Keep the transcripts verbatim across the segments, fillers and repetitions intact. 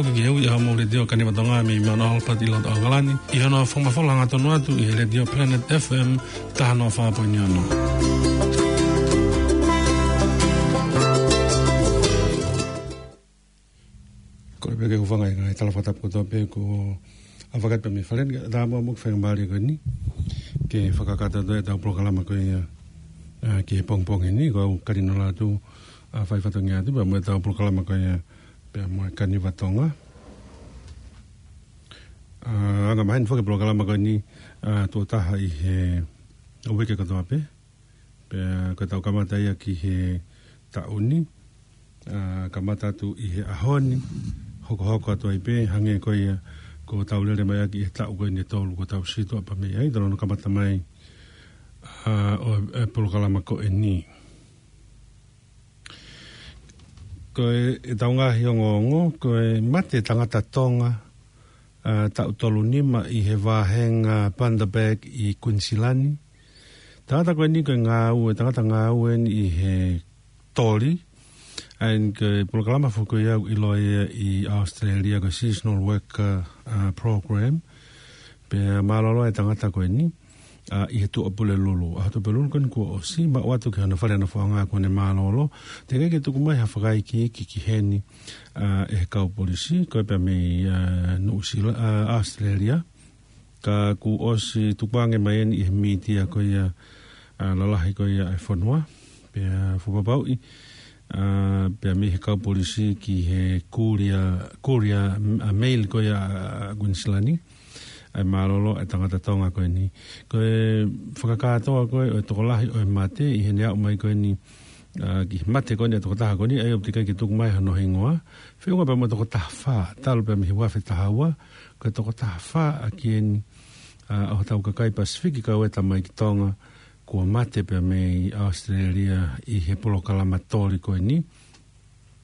Ke ui ʻa mo Letiō Kanivatonga mei Mount Albert ʻi loto ʻAokalani, ʻi hono fakamafola hangatonu atu ʻi he Letiō Planet F M taha noa fā poini ono. Ko e pē ke hūfanga ʻi he ngaahi tala fakatapu kotoa pē kuo ʻave atu mei fale ni, ka ʻatā muʻa mo e faingamālie ko eni ke fakakakato atu ʻetau polokalama ko ia, ā, ki he pongipongi ni, ko au Kalinola atu, ā, fai fatongia atu, pea mo ʻetau polokalama ko ia, pea mo e Kanivatonga. Ā, anga maheni foki e polokalama ko eni, ā, tuʻo taha ʻi he uike kotoa pē. Pea ko ʻetau kamata ia ki he taʻu ni, ā, kamata atu ʻi he ʻaho ni, hokohoko atu ai pē, hangē ko ia kuo tau lele mai ʻaki ʻi he taʻu ko eni ʻe tolu kuo tau sio atu pē mei ai, talu hono kamata mai, ā, ʻo e polokalama ko eni. Ko e, ʻetau ngaahi ongoongo, ko e mate tangata Tonga, ā, taʻu tolu nima ʻi he vāhenga Bundaberg ʻi Kuinisilani. Tangata ko eni ko e ngāue, tangata ngāue eni ʻi he toli. ʻA ia ko e polokalama foki ia ʻoku ʻiloa ia ʻi ʻAositelēlia ko e Seasonal Worker, ā, Program. Pea mālōlō e tangata ko eni, ā, ʻi he Tuʻapulelulu. ʻAho Tuʻapulelulu ko eni kuo ʻosi, maʻu atu ki hono fale nofoʻanga kuo ne mālōlō. Teʻeki ke tuku mai ha fakaikiiki ki heni, ā, ʻe he kau polisi, ko e pea mei, ā, Nuʻusila, ā, ʻAositelēlia. Ka kuo ʻosi tukuange mai eni ʻi he mītia ko ia, ā, lalahi ko ia ʻa e fonua. Pea fakapapauʻi, ā, pea mei he kau polisi ki he Courier, Courier, ā, Mail ko ia, ā, Kuinisilani. ʻA e mālōlō e tangata Tonga ko eni. Ko e fakakātoa ko ē ʻo e tokolahi ʻo e mate ʻi heʻene aʻu mai ko eni, ā, ki he mate ko eni ʻa e tokotaha ko eni, ʻa ia ʻoku teʻeki ai ke tuku mai hano hingoa. Feʻunga pea mo e tokotaha fā, talu pea mei he ua afe taha ua, ko e tokotaha fā ʻaki eni, ā, ʻo hotau kakai Pasifiki kau ai e tamaiki Tonga, kuo mate pea mei ʻAositelēlia ʻi he polokalama toli ko eni.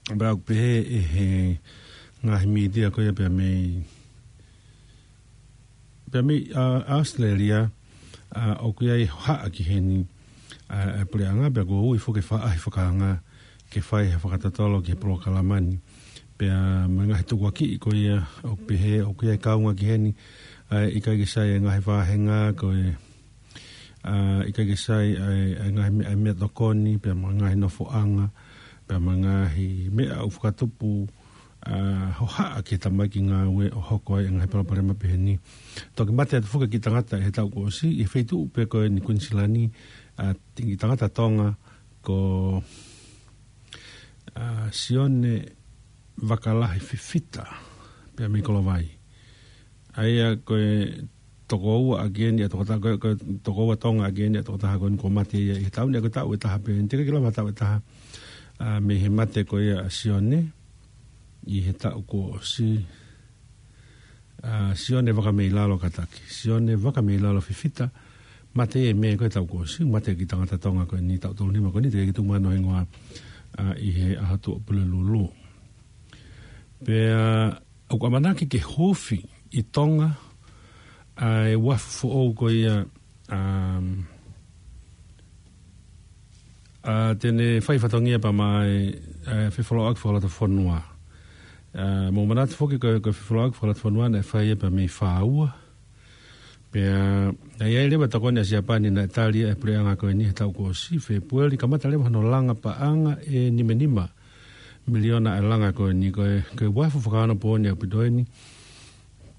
Pea ʻoku pehē ʻe he ngaahi mītia ko ia pea mei, pea mei, ā, ʻAositelēlia, ā, ʻoku ʻi ai e hohaʻa ki heni, ā, ʻa e puleʻanga, pea kuo ui foki e faʻahi fakaanga ke fai ha fakatotolo ki he polokalama ni. Pea mo e ngaahi tukuakiʻi ko ia, ʻoku pehē, ʻoku ʻi ai e kaunga ki heni, ā, ʻikai ke sai e ngaahi vāhenga, ko e, ā, ʻikai ke sai ʻa e, ʻa e ngaahi meʻa, ʻa e meʻatokoni, pea mo e ngaahi nofoʻanga, pea mo e ngaahi meʻa ʻoku fakatupu, ā, hohaʻa ki he tamaiki ngāue ʻo hoko ai e ngaahi palopalema pehē ni. Toki mate atu foki e kiʻi tangata ʻi he taʻu kuo ʻosi, ʻi he feituʻu pē ko eni Kuinisilani, ā, kiʻi tangata Tonga ko, ā, Sione Vakalahi Fifita, pea mei Kolovai. ʻA ia ko e tokoua ʻaki eni ʻa e tokotaha, ko e, ko e tokoua Tonga ʻaki eni ʻa e tokotaha ko eni kuo mate ia ʻi he taʻu ni, ʻa ia ko e taʻu ʻe taha pē eni, teʻeki ke lava ha taʻu ʻe taha, ā, mei he mate ko ia ʻa Sione, ʻi he taʻu kuo ʻosi, ā, Sione Vakameilalo kātaki. Sione Vakameilalo Fifita, mate ia ʻi Mē ko e taʻu kuo ʻosi, mate e kiʻi tangata Tonga ko eni taʻu tolu nima ko eni, teʻeki ke tuku mai hano hingoa, ā, ʻi he ʻaho Tuʻapulelulu. Pea ʻoku ʻamanaki ke huufi ʻi Tonga ʻa e uafu foʻou ko ia, um, ā, te ne fai fatongia pea mo e, ā, fefolauʻaki fakalotofonua. Ā, mou manatu foki ko e, ko e fefolauʻaki fakalotofonua naʻe fai ia pea mei Fāua. Pea, ā, ʻi ai leva e tokoni ʻa Siapani naʻe tali ʻe he puleʻanga ko eni he taʻu kuo ʻosi, Fēpueli, kamata leva hono langa paʻanga ʻe nimanima miliona ʻa e langa ko eni, ko e, ko e uafu fakaonopooni ʻaupito eni.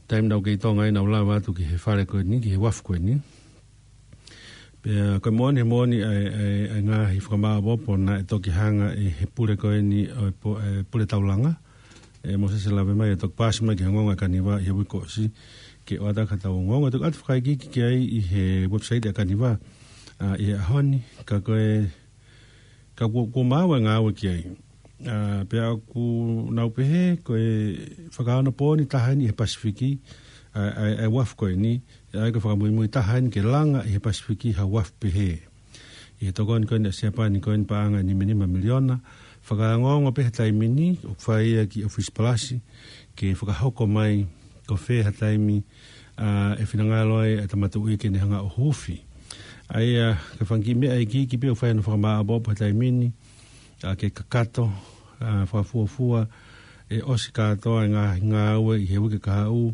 Taimi naʻa ku kei Tonga ai naʻa ku lava atu ki he fale ko eni, ki he uafu ko eni. Pea ko e moʻoni, moʻoni ʻa e, ʻa e, ʻa e ngaahi fakamāʻopoʻopo naʻe toki hanga ʻe he pule ko eni ʻo e po-, ʻe, pule taulanga, ʻe Mōsese Lavemai, ʻo toki paasi mai ki he Ongoongo ʻa Kaniva ʻi he uike kuo ʻosi, ke ʻoatu ʻaki haʻatau ongoongo. Toki ʻoatu e fakaikiiki ki ai ʻi he website ʻa Kaniva, ā, ʻi he ʻaho ni, ka ko e, ka kuo, kuo maau e ngāue ki ai. Ā, pea ʻoku nau pehē, ko e fakaonopooni taha eni ʻi he Pasifiki, ā, ʻa e, ʻa e uafu ko eni, ʻa ia ko e fakamuimui taha eni ke langa ʻi he Pasifiki ha uafu pehē. ʻI he tokoni ko eni ʻa Siapani ko eni paʻanga ʻe nimanima miliona, fakaongoongo pē he taimi ni, ʻoku fai ia ki ʻOfisi Palasi, ke fakahoko mai ko fē ha taimi, ā, ʻe finangalo ai e Tama Tuʻi ke ne hanga ʻo huufi. ʻA ia, ko e fanga kiʻi meʻa iiki, iiki pē ʻoku fai hono fakamāʻopoʻopo he taimi ni, ā, ke kakato, ā, fakafuofua, ʻe ʻosi kātoa e ngaahi ngāue ʻi he uike kahaʻu,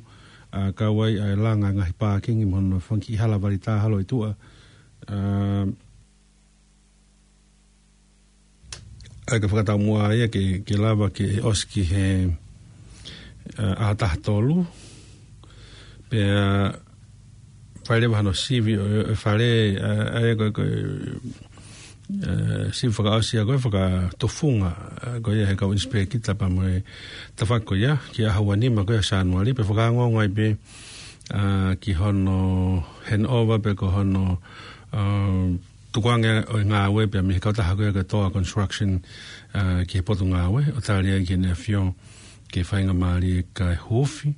ʻa, kau ai ʻa e langa e ngaahi pākingi mo hono fanga kiʻi hala vali tā holo ʻi tuʻa. ʻA, ʻa ia ko e fakataumuʻa ia ke, ke lava ke ʻosi ki he, ʻa, ʻaho taha tolu. Pea fai leva hano sivi ʻo, ʻo e fale, ʻa, ʻa ia ko e, ko e, ʻa, sivi fakaʻosi ia ko e fakatufunga, ʻa, ko ia he kau ʻinisipēkita pea mo e tafaʻaki ko ia, ki he ʻaho ua nima ko ia Sānuali, pea fakaongoongo ai pē, ʻa, ki hono handover pe ko hono, ʻa, tukuange ʻo e ngāue pea mei he kautaha ko ia ko e Toa Construction, ʻa, ki he Potungāue, ʻo tali ai ki Heʻene ʻAfio ke faingamālie kae huufi.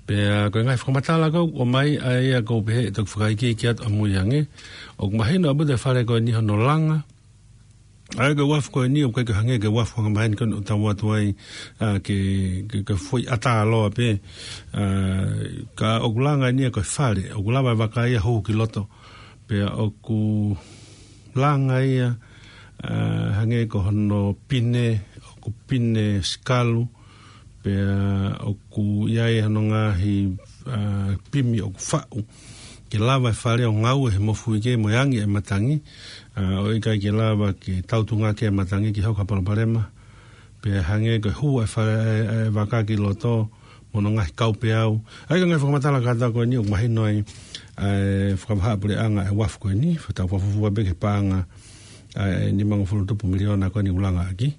Pea ko e ngaahi fakamatala ko ē ʻoku ʻomai, ʻa ia ʻoku ou pehē ʻe toki fakaikiiki atu ʻamui ange. ʻOku mahino ʻaupito e fale ko eni hono langa. ʻA ia ko e uafu ko eni, ʻoku ʻikai ke hangē ko e uafu angamaheni ko eni ʻoku tau atu ai, ʻa, ke, ke, ke foʻi ʻatā loa pē. ʻA, ka ʻoku langa eni ia ko e fale, ʻoku lava e vaka ia ʻo hū ki loto. Pea ʻoku langa ia, ʻa, hangē ko hono pine, ʻoku pine sikalu, pea ʻoku ʻi ai hono ngaahi, ʻa, pimi ʻoku faʻu ke lava e fale ʻo ngaue he mofuike mo e angi e matangi, ʻa, ʻo ʻikai ke lava ke tautunga ki ai e matangi ke hoko ha palopalema. Pea hangē ko e hū e fale, ʻa e, ʻa e vaka ki loto, mo hono ngaahi kaupeau. ʻA ia ko e ngaahi fakamatala kātoa ko eni ʻoku mahino ai ʻa e fakavahaʻapuleʻanga e uafu ko eni, fakatau fakafuofua pē ki he paʻanga ʻa e nimangofulu tupu miliona ko eni ʻoku langa ʻaki.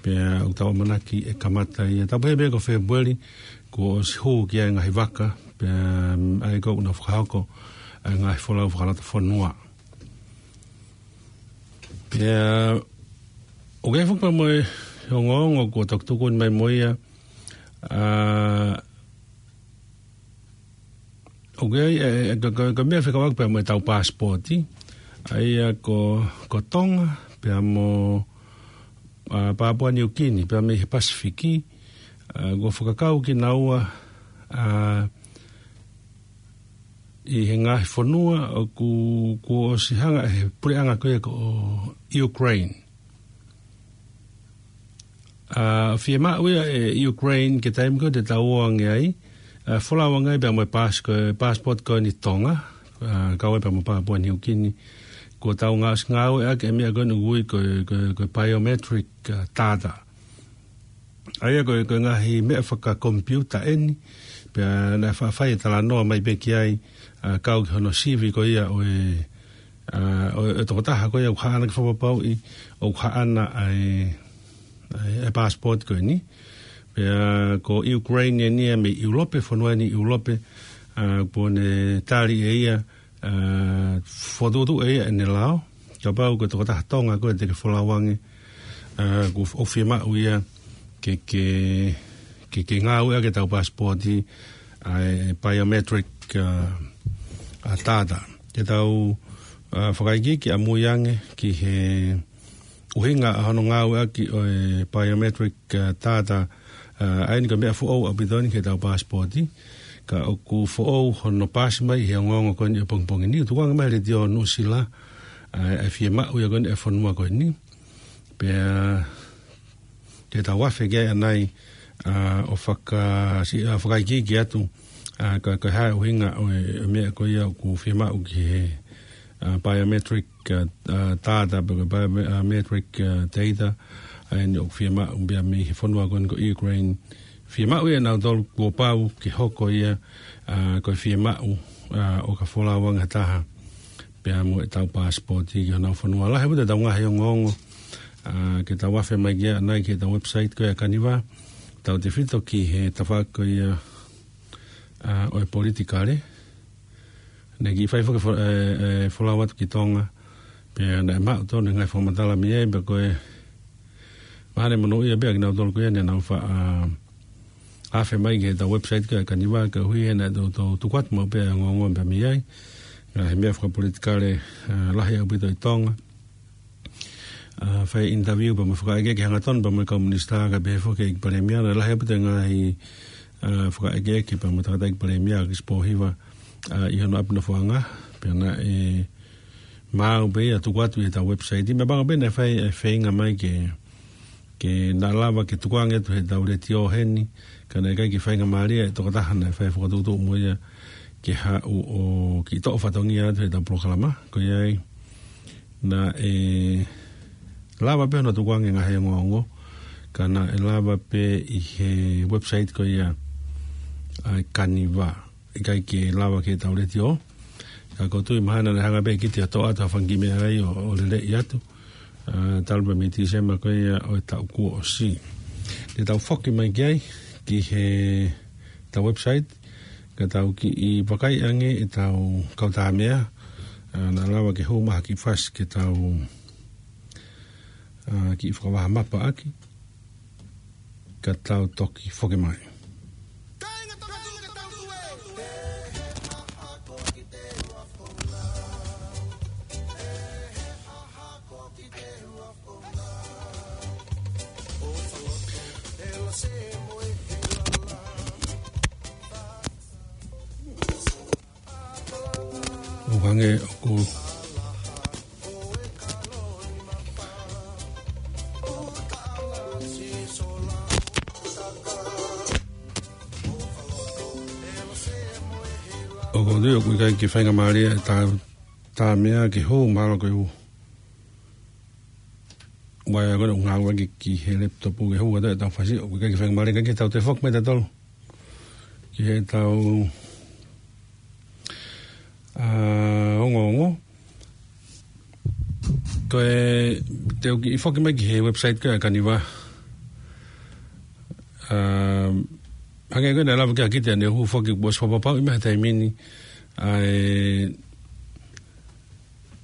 Pea ʻoku tau ʻamanaki ʻe kamata ia, tau pehē pē ko Fēpueli, kuo ʻosi hū ki ai e ngaahi vaka, pea, ʻa ia ko ē ʻoku nau fakahoko ʻa e ngaahi folau fakalotofonua. Pea ʻoku ʻi ai foki pea mo e ongoongo kuo toki tuku mai mo ia, ʻa, ʻoku ʻi ai, ʻe, ʻe, ko, ko, ko e meʻa fekauʻaki pea mo ʻetau paasipooti, ʻa ia ko, ko Tonga, pea mo, ʻa, Papua Niukini, pea mei he Pasifiki, ʻa, kuo fakakau kinaua, ʻa, ʻi he ngaahi fonua ʻoku, kuo ʻosi hanga ʻe he puleʻanga ko ia ko Ukraine. ʻA, fiemaʻu ia ʻe Ukraine ki he taimi ko ē te tau ō ange ai, ʻa, folau ange ai pea mo e paasi-, ko e paasipooti ko eni Tonga, ʻa, kau ai pea mo Papua Niukini, kuo tau ngā-, ngāueʻaki e meʻa ko eni ʻoku ui ko e, ko e, ko e biometric, ʻa, data. ʻA ia ko e, ko e ngaahi meʻa fakakomipiuta eni, pea naʻe faʻa fai e talanoa mai pē ki ai, ʻa, kau ki hono sivi ko ia ʻo e, ʻa, ʻo e, ʻo e tokotaha ko ia ʻoku haʻana ke fakapapauʻi ʻoku haʻana ʻa e, ʻa e, ʻa e paasipooti ko eni. Pea ko Ukraine eni ia mei ʻIulope, fonua eni ʻIulope, ʻa, kuo ne tali ʻe ia, ʻa, fokotuʻutuʻu ʻe ia ʻene lao, kapau ko e tokotaha Tonga ko ē te ke folau ange, ʻa, kuo f-, ʻoku fiemaʻu ia ke, ke, ke, ke ngāueʻaki ʻetau paasipooti, ʻa e biometric, ʻa, ʻa, data. Ke tau, ʻa, fakaikiiki ʻamui ange ki he ʻuhinga ʻa hono ngāueʻaki ʻo e biometric, ʻa, data, ʻa, ʻa eni ko e meʻa foʻou ʻaupito eni ki heʻetau paasipooti, ka ʻoku foʻou hono paasi mai he ongoongo ko eni ʻo e pongipongi ni. Tukuange mai he Letiō Nuʻusila, ʻa, ʻa e fiemaʻu ia ko eni ʻa e fonua ko eni. Pea te tau afe ki ai ʻanai, ʻa, ʻo faka-, si-, ʻa, fakaikiiki atu, ʻa, ka, ka hā e ʻuhinga ʻo e, ʻo e meʻa ko ia ʻoku fiemaʻu ki he, ʻa, biometric, ʻa, ʻa, data, pe ko e bio-, ʻa, metric, ʻa, data, ʻa eni ʻoku fiemaʻu pea mei he fonua ko eni ko Ukraine. Fiemaʻu ia ʻe nautolu kuo pau ke hoko ia, ʻa, ko e fiemaʻu, ʻa, ʻo ka folau ange ha taha pea mo ʻetau paasipooti ki honau fonua. Lahi ʻaupito ʻetau ngaahi ongoongo, ʻa, ke tau afe mai ki ai ʻanai ki heʻetau website ko ia ʻa Kaniva, tautefito ki he tafaʻaki ko ia, ʻa, ʻo e politikale. Naʻe kiʻi fai foki fo-, ʻe, ʻe, folau atu ki Tonga, pea naʻe maʻu tonu e ngaahi fakamatala mei ai, pea ko e mahalo ne monūʻia pē ʻa kinautolu ko ia ne nau faʻa, ʻa, afe mai ki heʻetau website ko ia ʻa Kaniva, koeʻuhi he naʻe toutou tuku atu maʻu pē ʻa e ongoongo pea mei ai. Ngaahi meʻa fakapolitikale, ʻa, lahi ʻaupito ʻi Tonga. ʻA, fai interview pea mo e fakaʻekeʻeke hangatonu pea mo e kau minisitā kae pehē foki ki he ʻEiki Palēmia, naʻe lahi ʻaupito e ngaahi, ʻa, fakaʻekeʻeke pea mo e tangataʻeiki palēmia ʻa Kisi Pōhiva, ʻa, ʻi hono ʻapi nofoʻanga, pea naʻe maau pē ia tuku atu ʻi heʻetau website. Meʻapango pē naʻe fai e feinga mai ke, ke naʻe lava ke tukuange atu heʻetau letiō heni, ka naʻe ʻikai ke faingamālie e tokotaha naʻe fai fakatuʻutuʻu mo ia ke haʻu ʻo kiʻi toʻo fatongia atu heʻetau polokalama. Ko ia ai, naʻe lava pē hono tukuange e ngaahi ongoongo, ka naʻe lava pē ʻi he website ko ia ʻa e Kaniva. ʻIkai ke lava ke tau letiō. Ka ʻoku ou tui mahalo naʻe hanga pē ʻe Kiti ʻo toʻo atu ha fanga kiʻi meʻa ai ʻo, ʻo leleʻi atu. ʻA, talu pē mei Tīsema ko ia ʻo e taʻu kuo ʻosi. Te tau foki mai ki ai, ki heʻetau website, ka tau kiʻi vakai ange ʻetau kautāmeʻa, ʻa, naʻa lava ke hū mai ha kiʻi fasi ke tau, ʻa, kiʻi fakavaha mapa ʻaki, ka tau toki foki mai. ʻO hangē ʻoku ʻoku ou tui ʻoku ʻikai ke faingamālie e tā, tā meʻa ke hū, mahalo ko e ʻū uaea ko ē ʻoku ngāueʻaki ki he laptop ke hū atu ʻetau fasi, ʻoku ʻikai ke faingamālie, ka ke tau toe foki mai tautolu ki heʻetau, ʻa, ongoongo. Ko e, te u kiʻi foki mai ki he website ko ia ʻa e Kaniva. ʻA, hangē ko ē naʻe lava ke ʻa Kiti ʻo ne hū foki kuo ʻosi fakapapauʻi mai he taimi ni ʻa e,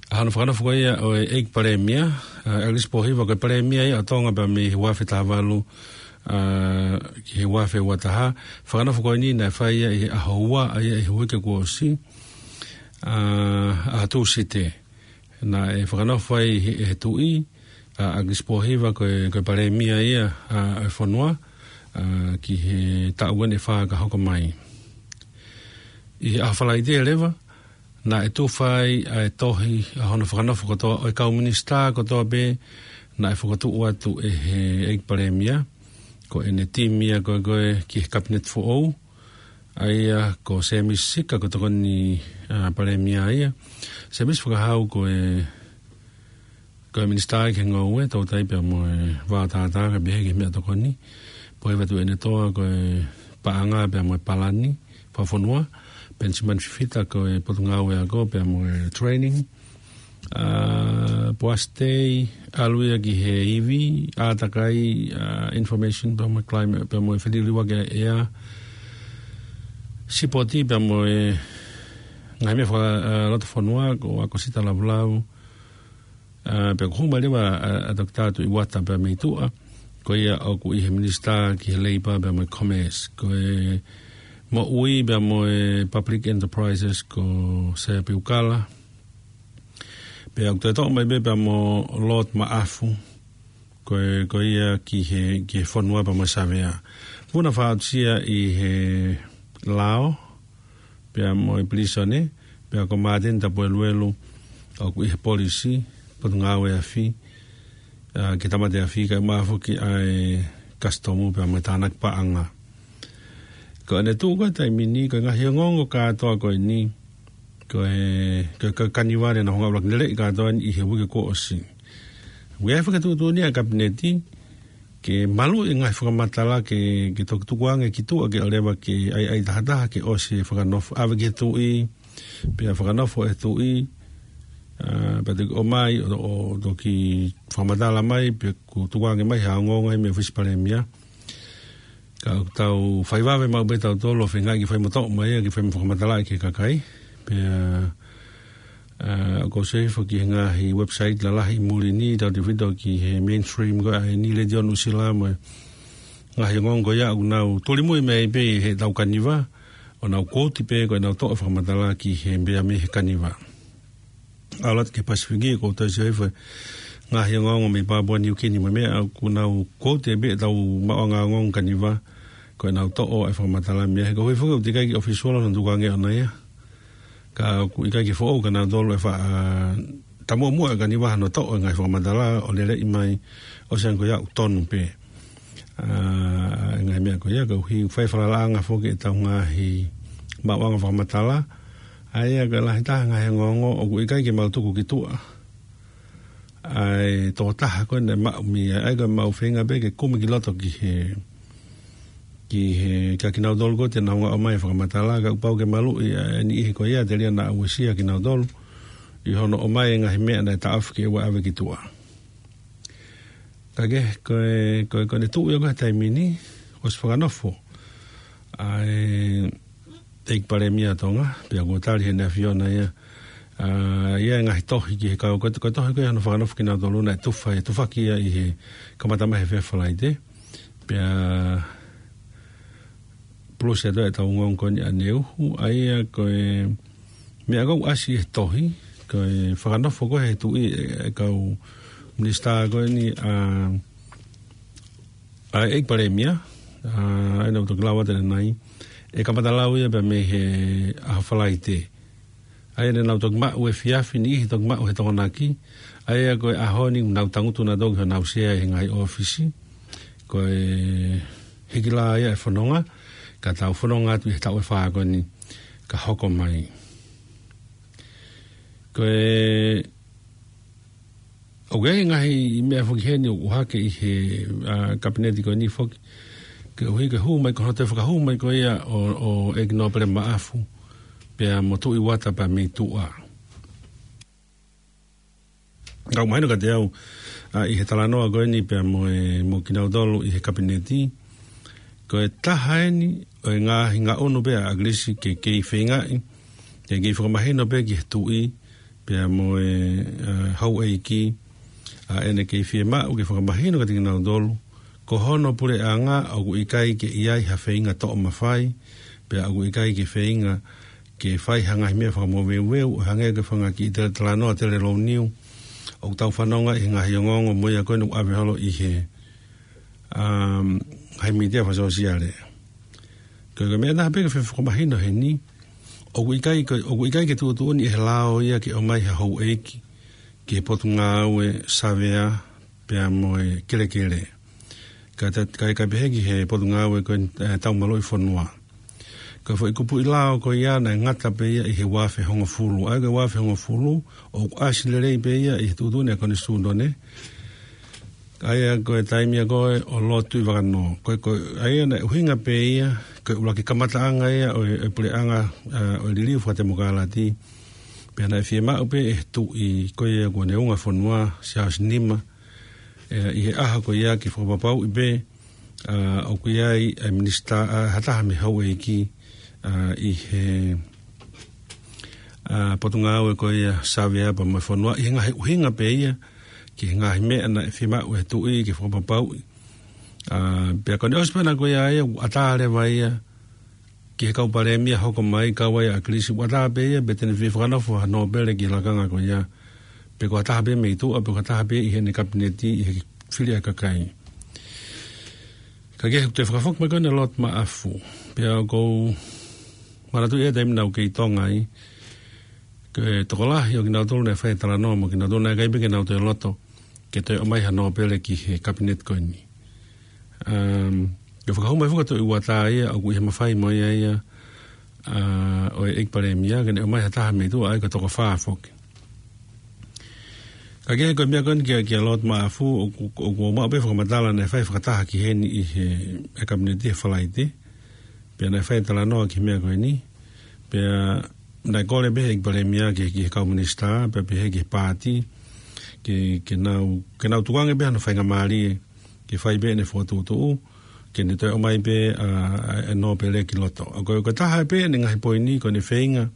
ʻa hono fakanofo ko ia ʻo e ʻEiki Palēmia, ʻa, ʻElisi Pōhiva, ko e Palēmia ia ʻo Tonga pea mei he ua afe taha valu, ʻa, ki he ua afe ua taha. Fakanofo ko eni naʻe fai ia ʻi he ʻaho ua ʻa ia ʻi he uike kuo ʻosi, ʻa, ʻaho Tūsite. Naʻe fakanofo ai ʻe he, he Tuʻi, ʻa, ʻElisi Pōhiva ko e, ko e Palēmia ia, ʻa, ʻo e fonua, ʻa, ki he taʻu ʻe fā ka hoko mai. ʻI he ʻaho Falaite leva, naʻe tufa ai ʻa e tohi ʻa hono fakanofo kotoa ʻo e kau minisitā kotoa pē naʻe fokotuʻu atu ʻe he ʻEiki Palēmia, ko ʻene timi ia ko ē, ko ē ki he Kapineti foʻou, ʻa ia ko Sēmisi Sika ko e tokoni, ʻa, Palēmia ia. Sēmisi Fakahau ko e, ko e minisitā ki he ngoue, toutai pea mo e vaotātā kae pehē ki he meʻatokoni. Pōhiva Tuʻiʻonetoa ko e paʻanga pea mo e palani fakafonua. Penisimani Fifita ko e potungāue ako pea mo e training. ʻA, Poasi Tei, ʻalu ia ki he ivi, ʻātakai, ʻa, information pea mo e climate, pea mo e feliliuaki ʻa e ʻea. Sipoti pea mo e ngaahi meʻa faka-, ʻa, loto fonua, ko ʻAkosita Lavulau. ʻA, pea ko e hū mai leva ʻa, ʻa Toketā Tuʻi Uata pea mei tuʻa, ko ia ʻoku ʻi he minisitā ki he Labour pea mo e Commerce. Ko e moʻui pea mo e Public Enterprises ko Sea Piukala. Pea ʻoku toe toʻo mai pē pea mo Lord Maʻafu, ko e, ko ia ki he, ki he fonua pea mo e Savea. Vuna Faʻausia ʻi he lao, pea mo e pilīsone, pea ko Māteni Tapueluelu, ʻoku ʻi he polisi, potungāue afi, ʻa, ki he tāmate afi, kae ʻumaʻā foki ʻa e kasitomu pea mo e tānaki paʻanga. Ko ʻene tuʻu ko e taimi ni, ko e ngaahi ongoongo kātoa ko eni, ko e, ko e, ko e Kaniva naʻa nau hanga ʻuluaki leleʻi kātoa eni ʻi he uike kuo ʻosi. ʻOku ʻi ai e fakatuʻutuʻuni ʻa e Kapineti, ke maluʻi e ngaahi fakamatala ke, ke toki tukuange ki tuʻa ke ʻoua leva ke ʻai, ʻai tahataha ke ʻosi e fakanofo, ʻave ki he Tuʻi, pea fakanofo ʻe he Tuʻi, ʻa, pea toki ʻomai, ʻo, ʻo toki fakamatala mai, pea kuo tukuange mai ha ongoongo ʻi he ʻOfisi Palēmia. Ka ʻoku tau fai vave maʻu pē tautolu ʻo feingaʻi ke fai mo toʻo mai ia ke fai mo fakamatalaʻi ki he kakai. Pea, ʻa, ʻoku ou sio hifo ki he ngaahi website lalahi ʻi muli ni, tautefito ki he mainstream ko ē ʻa eni, Letiō Nuʻusila mo e ngaahi ongoongo ko ia ʻoku nau tulimui mai pē ʻi heʻetau Kaniva, ʻo nau quote pē ko ʻenau toʻo e fakamatala ki he meʻa mei he Kaniva. ʻAlu atu ki he Pasifiki, ʻoku ou toe sio hifo he ngaahi ongoongo mei Papua Niukini mo e meʻa, ʻoku nau quote pē ʻetau maʻuʻanga ongoongo Kaniva, ko ʻenau toʻo e fakamatala mei ai. He ko e ʻuhi foki ʻoku teʻeki ai ke official hono tukuange ʻona ia. Ka ʻoku ʻikai ke foʻou kia nautolu e fa-, ʻa, taumuʻa muʻa ka ne vaha no toʻo e ngaahi fakamatala ʻo lele mai ʻo siʻi ange ko ia ʻoku tonu pē. ʻA, ngaahi meʻa ko ia, ka ʻuhi fai falalaʻanga foki ʻetau ngaahi maʻuʻanga fakamatala. ʻA ia ko e lahi taha ngaahi ongoongo ʻoku ʻikai ke mau tuku ki tuʻa ʻa e tokotaha ko ē naʻe maʻu mei ai, ʻa ia ko e mau feinga pē ke kumi ki loto ki he, ki he, kia kinautolu ko ē te nau ngāue ʻomai e fakamatala, ka ʻoku pau ke maluʻi ʻa e niʻihi ko ia telia naʻa uesia kinautolu ʻi hono ʻomai e ngaahi meʻa naʻe taʻofi ke ʻoua ʻe ʻave ki tuʻa. Ka ke, ko e, ko e, ko ʻene tuʻu ia ko ē he taimi ni, ʻosi fakanofo ʻa e ʻEiki Palēmia Tonga, pea kuo tali ʻe heʻene ʻAfiona ia, ʻa ia e ngaahi tohi ki he kau, ko e, ko e tohi ko ē hono fakanofo kinautolu naʻe tufa, ʻe tufaki ia ʻi he kamata mai he efiafi Falaite. Pea plus atu ʻetau ongoongo ko eni ʻaneuhu, ʻa ia ko e meʻa ʻoku ʻasi he tohi, ko e fakanofo ko ē he tuʻi e, e kau minisitā ko eni ʻa, ʻa e ʻEiki Palēmia, ʻa, ʻa ia naʻa ku toki lau atu ʻanenai, ʻe kamata lau ia pea mei he ʻaho Falaite. ʻA ia naʻa nau toki maʻu he efiafi ni, ʻi he toki maʻu he Tokonaki. ʻA ia ko e ʻaho ni naʻa nau tangutu nautolu ki honau sea ʻi he ngaahi ʻōfisi. Ko e hiki lā ia e fononga, ka tau fononga atu ʻi he taʻu ʻe fā ko eni ka hoko mai. Ko e ʻOku ʻi ai e ngaahi meʻa foki heni ʻoku hake ʻi he, ʻa, kapineti ko eni foki. Ke ʻuhi ke hū mai ko hono toe fakahū mai ko ia ʻo, ʻo ʻEiki Nōpele Maʻafu, pea mo Tuʻi Uata pea mei tuʻa. Ka ʻoku mahino kiate au, ʻa, ʻi he talanoa ko eni pea mo e, mo kinautolu ʻi he kapineti, ko e taha eni ʻo e ngaahi ngaʻunu pē ʻa ʻAkilisi ke kei feingaʻi, ke kei fakamahino pē ki he tuʻi, pea mo e, ʻa, houʻeiki, ʻa ʻene kei fiemaʻu ke fakamahino kiate kinautolu, ko hono puleʻanga ʻoku ʻikai ke ʻi ai ha feinga toʻo mafai, pea ʻoku ʻikai ke feinga ke fai ha ngaahi meʻa fakamoveuveu, ʻo hangē ko e fanga kiʻi tele talanoa tele louniu, ʻoku tau fanonga ʻi he ngaahi ongoongo mo ia ko eni ʻoku ʻave holo ʻi he, um, ngaahi mītia fakasōsiale. Ko e, ko e meʻa naʻa pē ke fakamahino heni, ʻoku ʻikai, ko, ʻoku ʻikai ke tuʻutuʻuni ʻe he lao ia ke ʻomai ha houʻeiki ki he Potungāue Savea pea mo e Kelekele. Ka ta, ka, ka pehē ki he Potungāue ko e, ʻe, Taumaluʻi Fonua. Ko e foʻi kupuʻi lao ko ia naʻe ngata pē ia ʻi he ua afe hongofulu. ʻA ia ko e ua afe hongofulu, ʻoku ʻasi lelei pē ia ʻi he tuʻutuʻuni ʻa e Konisitūtone. ʻA ia ko e taimi ia ko ē ʻo Lord Tuʻivakanō. Ko e, ko e, ʻa ia naʻe ʻuhinga pē ia, ko e ʻuluaki kamataʻanga ia ʻo e, e puleʻanga, ʻa, ʻo e liliu fakatemokalati. Pea naʻe fiemaʻu pē ʻe he tuʻi ko ia kuo ne unga fonua, Siaosi Nima, ʻe, ʻi he ʻaho ko ia ke fakapapauʻi pē, ʻa, ʻoku ʻi ai e minisitā, ʻa, ha taha mei he houʻeiki, ʻa, ʻi he, ʻa, Potungāue ko ia Savea pea mo e fonua, ʻi he ngaahi ʻuhinga pē ia, ki he ngaahi meʻa naʻe fiemaʻu ʻe he tuʻi ke fakapapauʻi. ʻA, pea ko ʻene ʻosi pē ʻana ko ia ia, ʻoku ʻatā leva ia ki he kau palēmia hoko mai, kau ai ʻa ʻAkilisi, ʻoku ʻatā pē ia, pe te ne fie fakanofo ha nōpele ki he lakanga ko ia, pe ko ha taha pē mei tuʻa, pe ko ha taha pē ʻi heʻene kapineti, ʻi he fili ʻa e kakai. Ka ke toe fakafoki mai ko eni ʻa Lord Maʻafu. Pea ʻoku ou manatuʻi he taimi naʻa ku kei Tonga ai, ko e tokolahi ʻo kinautolu naʻe fai e talanoa mo kinautolu naʻe ʻikai pē ke nau toe loto ke toe ʻomai ha nōpele ki he kapineti ko eni. Um, ke fakahū mai foki ʻa Tuʻi Uata ia, ʻoku ʻi he mafai mo ia ia, ʻa, ʻo e ʻEiki Palēmia, ke ne ʻomai ha taha mei tuʻa, ʻa ia ko e toko fā foki. Ka ke ko e meʻa ko eni kia, kia Lord Maʻafu, ʻoku, ʻoku ou maʻu pē fakamatala naʻe fai fakataha ki heni ʻi he, he kapineti he Falaite. Pea naʻe fai e talanoa ki he meʻa ko eni. Pea naʻe kole pē ʻe he ʻEiki Palēmia ki, ki he kau minisitā, pea pehē ki he paati, ke, ke nau, ke nau tukuange pē hano faingamālie, ke fai pē ʻene fokotuʻutuʻu, ke ne toe ʻomai pē, ʻa, e nōpele ki loto. ʻA ko, ko e taha pē ʻene ngaahi poini, ko ʻene feinga,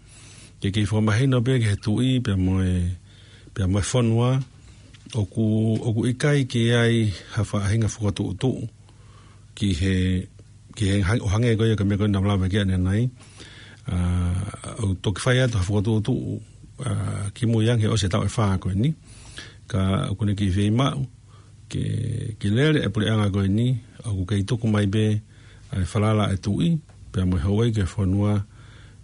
ke kei fakamahino pē ki he tuʻi, pea mo e, pea mo e fonua, ʻoku, ʻoku ʻikai ke ʻi ai ha faʻahinga fokotuʻutuʻu ki he, ki he hang-, ʻo hangē ko ia ko e meʻa ko ē naʻa ku lave ki ai ʻanenai. ʻA, ʻoku toki fai atu ha fokotuʻutuʻu, ʻa, kimui ange ʻosi e taʻu ʻe fā ko eni. Ka ʻoku ne kei fiemaʻu ke, ke lele e puleʻanga ko eni, ʻoku kei tuku mai pē, ʻa e falala ʻa e tuʻi, pea mo e houʻeiki ʻo e fonua,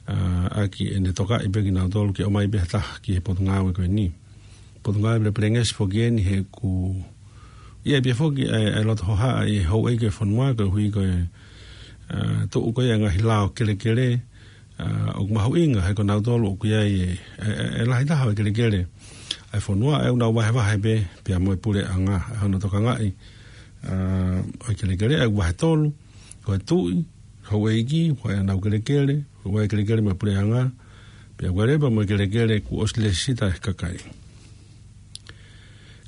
ʻa, ʻaki ʻene tokaʻi pē kinautolu ke ʻomai pē ha taha ki he Potungāue ko eni. Potungāue Pelepelengesi foki eni he ʻoku ʻi ai pē foki ʻa e, ʻa e loto hohaʻa ʻi he houʻeiki ʻo e fonua koeʻuhi ko e, ʻa, tuʻu ko ia e ngaahi lao kelekele, ʻa, ʻoku mahuʻinga he ko nautolu ʻoku ʻi ai e, e, e, e lahi taha ʻo e kelekele ʻa e fonua, ʻa ia ʻoku nau vahevahe pē pea mo e puleʻanga, ʻa hono tokangaʻi, ʻa, ʻo e kelekele, ʻa ia ʻoku vahe tolu, ko e tuʻi, houʻeiki, ko e ʻenau kelekele, ko e kelekele mo e puleʻanga, pea ko e leva mo e kelekele kuo ʻosi lēsisita ʻe he kakai.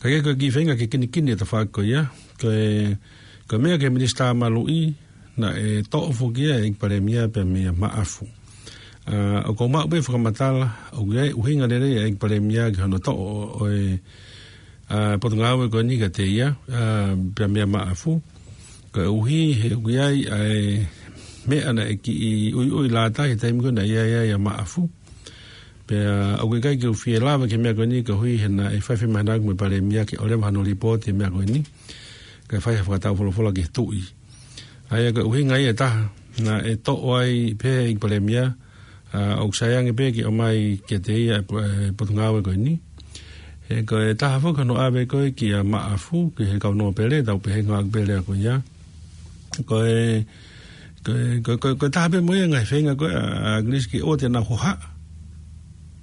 Ka ʻi ai ko e kiʻi feinga ke kinikini e tafaʻaki ko ia, ko e, ko e meʻa ki he Minisitā Maluʻi, naʻe toʻo foki ia ʻe he ʻEiki Palēmia pea meia Maʻafu. ʻA, ʻoku ou maʻu pē fakamatala, ʻoku ʻi ai e ʻuhinga lelei ʻa e ʻEiki Palēmia ki hono toʻo ʻo, ʻo e, ʻa, potungāue ko eni kiate ia, ʻa, pea meia Maʻafu. Koeʻuhi he ʻoku ʻi ai ʻa e meʻa naʻe kiʻi ʻuiʻui lātai he taimi ko ē naʻe ʻi ai ai ʻa Maʻafu. Pea ʻoku ʻikai ke u fie lava ki he meʻa ko eni koeʻuhi he naʻe fai e fiemaʻu ʻa e ʻEiki Palēmia ke ʻoua leva hano lipooti e meʻa ko eni. Kae fai ha fakataufolofola ki he tuʻi. ʻA ia ko e ʻuhinga ia ʻe taha, naʻe toʻo ai pē ʻe he ʻEiki Palēmia, ʻa, ʻoku sai ange pē ke ʻomai kiate ia e po-, e potungāue ko eni. He ko e taha foki hono ʻave ko ē kia Maʻafu, ki he kau nōpele, tau pehē ngāue pē lea ko ia. Ko e, ko e, ko e, ko e, ko e taha pē mo ia e ngaahi feinga ko ē ʻa, ʻa ʻAkilisi ke ʻoua te nau hohaʻa.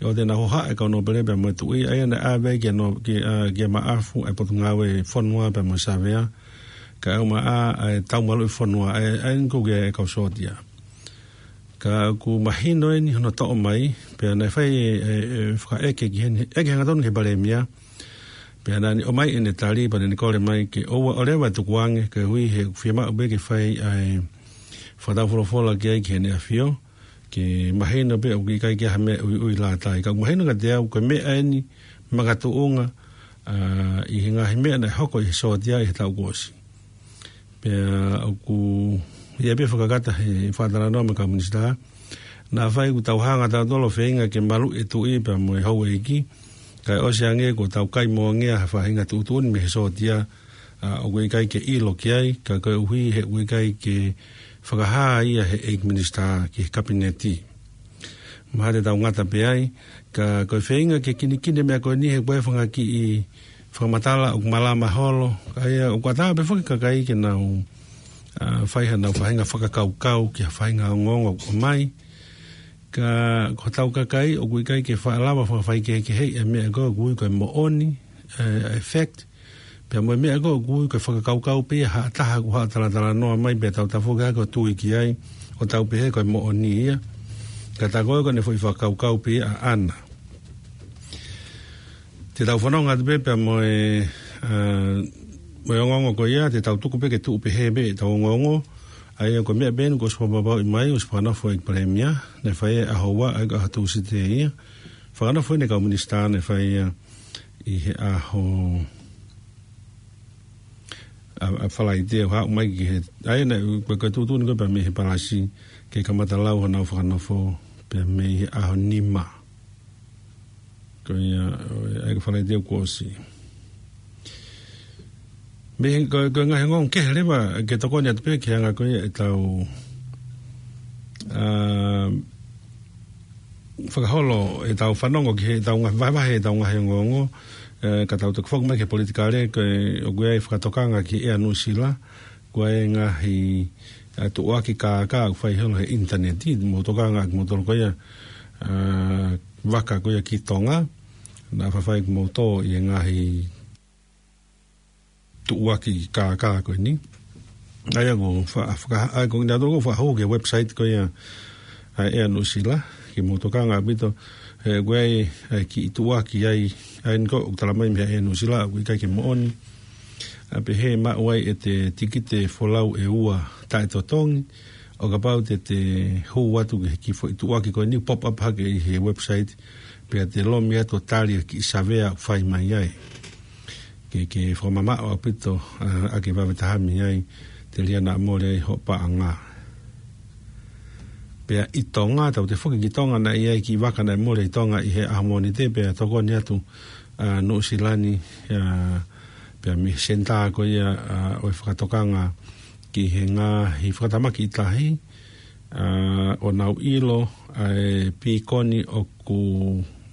ʻOua te nau hohaʻa e kau nōpele pea mo e tuʻi, ʻa ia naʻe ʻave kia nō-, ki, ʻa, kia Maʻafu e potungāue fonua pea mo e savea. Kae ʻumaʻā ʻa e tau maluʻi fonua, ʻa e, ʻa ia ko ē e kau sōtia. Ka ʻoku mahino eni hono toʻo mai, pea naʻe fai e, e, e fakaʻeke ki heni, ʻeke hangatonu ki he Palēmia, pea naʻa ne ʻomai ʻene tali, pea naʻa ne kole mai ke ʻoua ʻo leva e tukuange, koeʻuhi he ʻoku fiemaʻu pē ke fai ʻa e fakataufolofola ki ai ki heʻene ʻAfio, ke mahino pē ʻoku ʻikai ke ʻi ai ha meʻa ʻuiʻui lātai. Ka ʻoku mahino kiate au, ko e meʻa eni makatuʻunga, ʻa, ʻi he ngaahi meʻa naʻe hoko ʻi he sōtia ʻi he taʻu kuo ʻosi. Pea ʻoku ʻi ai pē fakakata he fakatalanoa mo e kau minisitā. Naʻa faʻa ʻoku tau hanga tautolu ʻo feinga ke maluʻi e tuʻi pea mo e houʻeiki. Kae ʻosi ange kuo tau kai moange ha faʻahinga tuʻutuʻuni mei he sōtia, ʻa, ʻoku ʻikai ke ʻilo ki ai, ka koeʻuhi he ʻoku ʻikai ke fakahā ia ʻe he ʻEiki Minisitā ki he Kapineti. Mahalo te tau ngata pē ai, ka ko e feinga ke kinikini e meʻa ko eni he ko e fanga kiʻi fakamatala ʻoku malama holo, ʻa ia ʻoku ʻatā pē foki e kakai ke nau, ʻa, fai haʻanau faʻahinga fakakaukau ki ha faʻahinga ongoongo ʻoku ʻomai. Ka ko hotau kakai ʻoku ʻikai ke faʻa lava fakafaikehekeheʻi e meʻa ko ē ʻoku ui ko e moʻoni, ʻe, e fact, pea mo e meʻa ko ē ʻoku ui ko e fakakaukau pē ia ʻa ha taha ʻoku haʻu ʻo talatalanoa mai pea tau tafoki hake ʻo tui ki ai, ʻo tau pehē ko e moʻoni ia. Ka tā ko ē ko ʻene foʻi fakakaukau pē ia ʻaʻana. Te tau fanongo atu pē pea mo e, ʻa, mo e ongoongo ko ia, te tau tuku pē ke tuʻu pehē pē ʻetau ongoongo. ʻA ia ko e meʻa pē eni kuo ʻosi fakapapauʻi mai, ʻosi fakanofo ʻe he ʻEiki Palēmia, naʻe fai he ʻaho ua, ʻa ia ko e ʻaho Tūsite ia. Fakanofo ʻe he kau minisitā naʻe fai ia ʻi he ʻaho, ʻa, ʻa Falaite ʻo haʻu mai ki he, ʻa ia naʻe, ko e, ko e tuʻutuʻuni ko ē pea mei he palasi, ke kamata lau haʻanau fakanofo, pea mei he ʻaho nima. Ko ia, ʻa ia ko Falaite kuo ʻosi. Mei he, ko, ko e ngaahi ongoongo kehe leva ke tokoni atu pē ki he anga ko ia ʻetau, ʻa, fakaholo ʻetau fanongo ki heʻetau ngaahi vahevahe ʻetau ngaahi ongoongo, ʻe, ka tau toki foki mai ki he politikale, ko e, ʻoku ʻi ai e fakatokanga ki he ʻEa Nuʻusila, ko e ngaahi, ʻa, tuʻuaki kākā ʻoku fai holo he ʻinitaneti, mou tokanga ʻaki moutolu ko ia, ʻa, vaka ko ia ki Tonga, naʻa faifai kimoutolu ʻi he ngaahi tuʻuaki kākā ko eni. ʻA ia ko fa-, faka-, ʻa ia ko kinautolu ko ē fakahū ki he website ko ia ʻa e ʻEa Nuʻusila, ke mou tokanga ʻaupito, he ʻoku ʻi ai, ʻa e kiʻi tuʻuaki ai, ʻa eni ko ē ʻoku talamai mei he ʻEa Nuʻusila, ʻoku ʻikai ke moʻoni. ʻA pehē maʻu ai ʻete tikite folau ʻe ua taʻetotongi, ʻo kapau te te hū atu ki he kiʻi foʻi tuʻuaki ko eni pop up hake ʻi he website, pea te lomi atu ʻo tali e kiʻi savea ʻoku fai mai ai. Ke, ke fakamamaʻo ʻaupito, ʻa, ʻa ke vave taha mei ai, telia naʻa mole ai hoʻo paʻanga. Pea ʻi Tonga, tau toe foki ki Tonga naʻe ʻi ai e kiʻi vaka naʻe mole ʻi Tonga ʻi he ʻaho Mōnite, pea tokoni atu, ʻa, Nuʻusila ni, ʻa, pea mei he senitā ko ia, ʻa, ʻo e fakatokanga ki he ngaahi fakatamaki ʻi tahi, ʻa, ʻo nau ʻilo, ʻa, e pīkoni ʻoku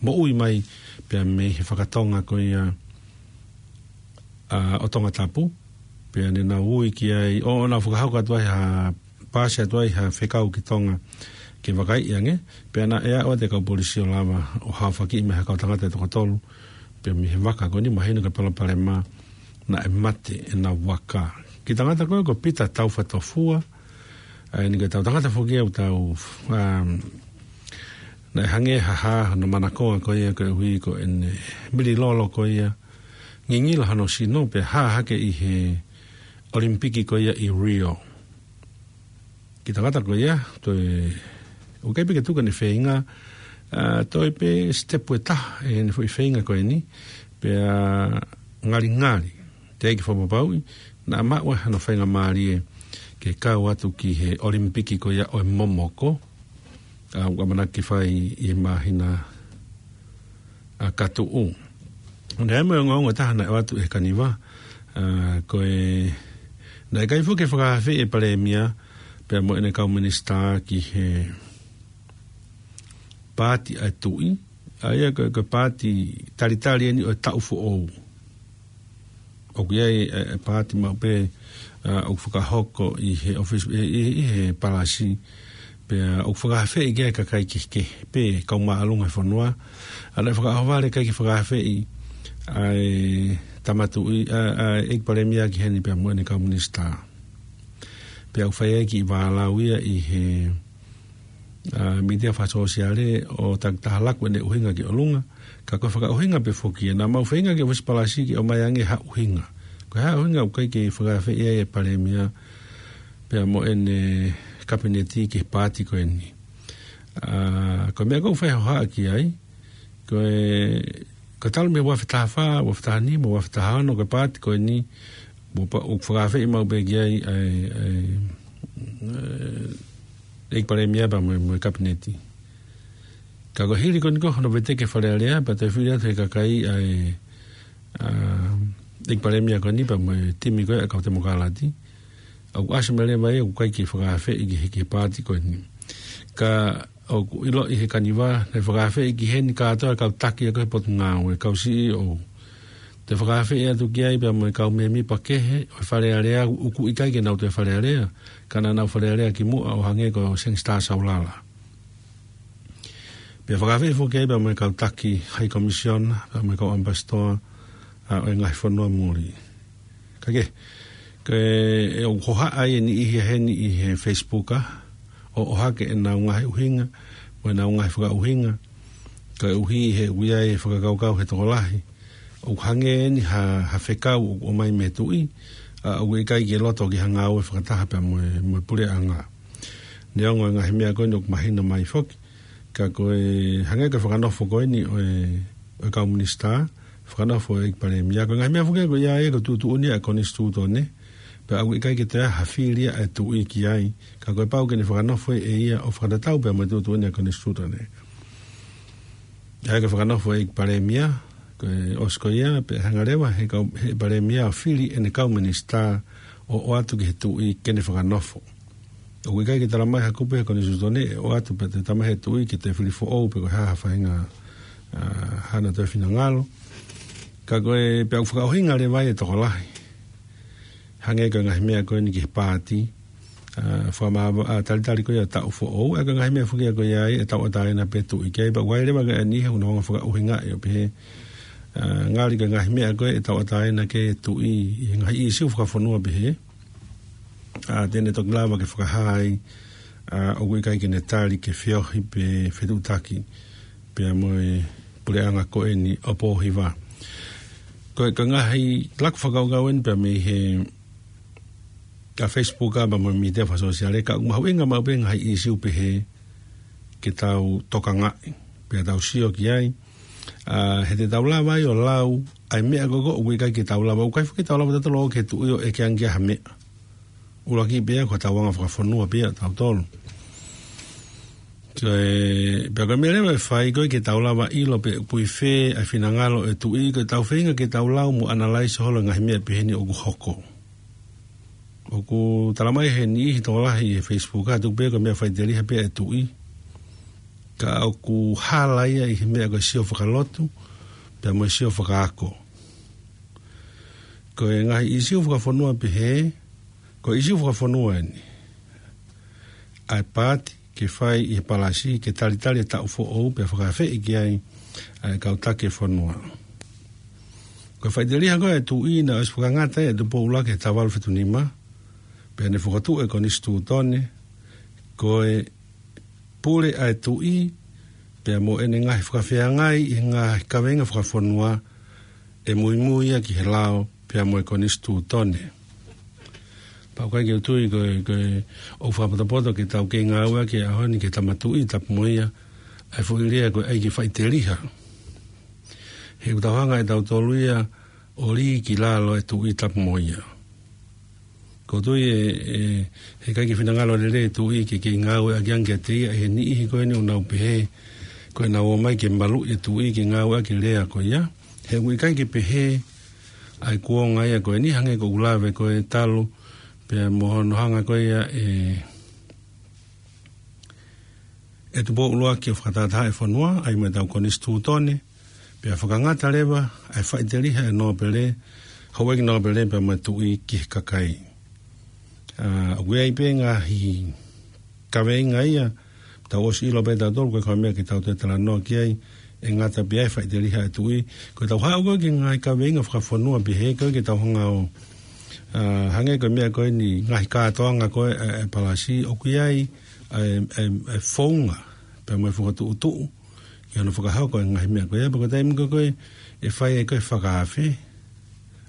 moʻui mai pea mei he fakatonga ko ia ʻa, ʻo Tongatapu, pea ne nau ui ki ai, ʻo, ʻo nau fakahoko atu ai ha, paasi atu ai ha fekau ki Tonga ke vakaiʻi ange, pea naʻe aʻu atu e kau polisi ʻo lava ʻo haofaki mai ha kau tangata ʻe toko tolu, pea mei he vaka ko eni mahino ko e palopalema naʻe mate ʻenau vaka. Kiʻi tangata ko ē ko Pita Taufatofua, ʻa eni ko e tau tangata foki ʻoku tau, um, naʻe hangē ha hā hono manakoa ko ia koeʻuhi ko ʻene mililolo ko ia, ngingila hono sino pea hā hake ʻi he ʻOlimipiki ko ia ʻi Rio. Kiʻi tangata ko ia, toe, ʻoku ʻikai pē ke tuku ʻene feinga, ʻa, toe pē sitepu ʻe taha ʻene foʻi feinga ko eni, pea ngalingali, teʻeki fakapapauʻi, naʻa maʻu ai hano faingamālie ke kau atu ki he ʻOlimipiki ko ia ʻo e momoko, ʻa, ʻoku ʻamanaki ke fai ʻi he māhina ʻa, ka tuʻu. Naʻe ʻi ai mo e ongoongo ʻe taha naʻe ʻoatu ʻe he Kaniva, ʻa, ko e, naʻe ʻikai foki ke fakaafeʻi e Palēmia pea mo ʻene kau minisitā ki he paati ʻa e Tuʻi, ʻa ia ko e, ko e paati talitali eni ʻo e taʻu foʻou. ʻOku ʻi ai e, e paati maʻu pē, ʻa, ʻoku fakahoko ʻi he ʻōfisi, ʻi, ʻi, ʻi he palasi, pea ʻoku fakaafeʻi ki ai e kakai kehekehe, pē kau māʻolunga he fonua, ʻa, naʻe fakaʻohovale ʻikai ke fakaafeʻi ʻa e Tama Tuʻi, ʻa, ʻa e ʻEiki Palēmia ki heni pea mo ʻene kau minisitā. Pea ʻoku fai ai e kiʻi vālau ia ʻi he ʻa, mītia fakasōsiale ʻo taki taha laku ʻene ʻuhinga ki ʻolunga, ka ko e fakaʻuhinga pē foki ia naʻa mau feinga ki he ʻōfisi palasi ke ʻomai ange ha ʻuhinga. Ko e hā e ʻuhinga ʻoku ʻikai ke fakaafeʻi ai e Palēmia pea mo ʻene Kapineti ki he paati ko eni. ʻA, ko e meʻa ʻoku ou fai hohaʻa ki ai, ko e, ko e talu mei he ua afe taha fā, ua afe taha nima, ua afe taha ono, ko e paati ko eni, ʻoku pa-, ʻoku fakaafeʻi maʻu pē ki ai ʻa e, ʻa e, ʻa e ʻEiki Palēmia pea mo e, mo e Kapineti. Ka ko e hili ko eni ko hono veteki e Fale Alea, pea toe fili atu ʻe he kakai ʻa e, ʻa, ʻEiki Palēmia ko eni pea mo e timi ko ē ʻa e kau Temokalati, ʻoku ʻasi mai leva ia ʻoku ʻikai ke fakaafeʻi ki he, ki he paati ko eni. Ka ʻoku ʻiloʻi ʻe he Kaniva, naʻe fakaafeʻi ki heni kātoa e kau taki ʻa e kau Potungāue, kau C E O. Toe fakaafeʻi atu ki ai pea mo e kau mēmipa kehe ʻo e Fale Alea, ʻoku ʻikai ke nau toe Fale Alea, ka naʻa nau Fale Alea kimuʻa ʻo hangē ko Sangster Saulala. Pea fakaafeʻi foki ai pea mo e kau taki High Commission, pea mo e kau ambassador, ʻa, ʻo e ngaahi fonua muli. Ka ke, ke ʻe ʻoku hohaʻa ai e niʻihi ʻa heni ʻi he Facebook, ʻa, ʻo, ʻohake ʻenau ngaahi ʻuhinga, mo ʻenau ngaahi fakaʻuhinga, koeʻuhi he ʻoku ʻi ai e fakakaukau ʻa e tokolahi ʻoku hangē eni ha, ha fekau ʻoku ʻomai mei he Tuʻi, ʻa, ʻoku ʻikai ke loto ki ha ngāue fakataha pea mo e, mo e puleʻanga. Neongo e ngaahi meʻa ko eni ʻoku mahino mai foki, ka ko e hangē ko e fakanofo ko eni ʻo e, ʻo e kau minisitā, fakanofo ʻo e ʻEiki Palēmia. Ko e ngaahi meʻa foki ko ia ia ko e tuʻutuʻuni ʻa e Konisitūtone, pea ʻoku ʻikai ke toe ʻi ai ha fili ʻa e Tuʻi ki ai, ka kuo pau ke ne fakanofo ʻe ia ʻo fakatatau pea mo e tuʻutuʻuni ʻa e Konisitūtone. ʻA ia ko e fakanofo ʻo e ʻEiki Palēmia, ko e ʻosi ko ia, pea hanga leva ʻe he kau, ʻe he Palēmia ʻo fili ʻene kau minisitā ʻo, ʻoatu ki he Tuʻi ke ne fakanofo. ʻOku ʻikai ke talamai ʻe ha kupu ʻi he Konisitūtone ʻe ʻoatu pea toe talamai ʻe he Tuʻi ke toe fili foʻou pe ko e hā ha faʻahinga, ʻa, haʻane toe finangalo. Ka ko e, pea ʻoku fakaʻuhinga leva ai e tokolahi. Hangē ko e ngaahi meʻa ko eni ki he paati, ʻa, fakamāvae, ʻa, talitali ko ia taʻu foʻou, ʻa, ko e ngaahi meʻa foki ia ko ia ʻe tauʻatāina pē Tuʻi ki ai, pea ʻoku ʻi ai leva ngaahi niʻihi ʻoku nau hanga ʻo fakaʻuhingaʻi ʻo pehē, ʻa, ngali ko e ngaahi meʻa ko ē ʻe tauʻatāina ki ai e Tuʻi ʻi he ngaahi ʻīsiu fakafonua pehē, ʻa, te ne toki lava ke fakahā ai, ʻa, ʻoku ʻikai ke ne tali ke feohi pe fetuʻutaki pea mo e puleʻanga ko eni ʻo Pōhiva. Ko e, ko e ngaahi laku fakakaukau eni pea mei he, ʻa, Facebook ʻa, pea mo e mītia fakasōsiale, ka ʻoku mahuʻinga maʻu pē ngaahi ʻīsiu pehē ke tau tokangaʻi, pea tau sio ki ai, ʻa, he te tau lava ai ʻo lau ʻa e meʻa ko ē ʻoku ʻikai ke tau lava, ʻoku ʻikai foki ke tau lava tautolu ʻo ʻeke ki he Tuʻi ʻo ʻeke ange ki ai ha meʻa. ʻUluaki pē ia ko hotau anga fakafonua pē ia tautolu. Ko e, pea ko e meʻa leva ʻe fai ko ē ke tau lava ʻilo pe ʻoku ʻi fē ʻa e finangalo ʻo e Tuʻi, ko ʻetau feinga ke tau lau mo analyze holo e ngaahi meʻa pehē ni ʻoku hoko. ʻOku talamai ʻe he niʻihi tokolahi ʻi he Facebook ʻa, tuku pē ko e meʻa faʻiteliha pē ʻa e Tuʻi. Ka ʻoku hala ia ʻi he meʻa ko e sio fakalotu, pea mo e sio fakaako. Ko e ngaahi ʻīsiu fakafonua pehē, ko e ʻīsiu fakafonua eni. ʻA e paati ke fai ʻi he palasi, ke talitali e taʻu foʻou, pea fakaafeʻi ki ai ʻa e kau taki e fonua. Ko e faʻiteliha ko ē ʻa e tuʻi naʻe ʻosi fakangata ʻe Tupou ʻUluaki he taha valu fitu nima, pea ne fokotuʻu e konisitūtone, ko e pule ʻa e tuʻi, pea mo ʻene ngaahi fakafeangai ʻi he ngaahi kaveinga fakafonua, ʻe muimui ia ki he lao, pea mo e konisitūtone. Pea ʻoku ʻikai ke u tui ko e, ko e ʻoku fakapotopoto ke tau kei ngāueʻaki he ʻaho ni ki he tama tuʻi tapu mo ia, ʻa e foʻi lea ko e ʻai ke faʻiteliha. He ʻoku tau hanga ʻe tautolu ia ʻo lī ki lalo e tuʻi tapu mo ia. ʻOku ou tui ʻe, ʻe, heʻikai ke finangalo lelei e tuʻi ke, ke ngāueʻaki ange kiate ia ʻe he niʻihi ko eni ʻoku nau pehē, ko ʻenau ō mai ke maluʻi e tuʻi ke ngāueʻaki e lea ko ia. He ʻoku ʻikai ke pehē ʻa e kuonga ia ko eni hangē ko ʻeku lave ko ē talu, pea mo hono hanga ko ia ʻe, ʻe Tupou ʻUluaki ʻo fakatahatahaʻi e fonua, ʻai mo ʻetau konisitūtone, pea fakangata leva ʻa e faʻiteliha e nōpele, houʻeiki nōpele pea mo e tuʻi ki he kakai. ʻA, ʻoku ʻi ai pē ngaahi kaveinga ia, tau ʻosi ʻilo pē tautolu ko e kau meʻa ke tau toe talanoa ki ai, ʻe ngata pē ʻa e faʻiteliha e tuʻi. Ko ʻetau haʻu ko ē ki he ngaahi kaveinga fakafonua pehē ko ē ke tau hanga ʻo, ʻa, hangē ko e meʻa ko eni ngaahi kātoanga ko ē ʻa e, ʻa e palasi, ʻoku ʻi ai ʻa e, ʻa e, ʻa e founga, pea mo e fakatuʻutuʻu, ki hono fakahoko e ngaahi meʻa ko ia, pea ko e taimi ko ē ko ē ʻe fai ai ko ē fakaafe.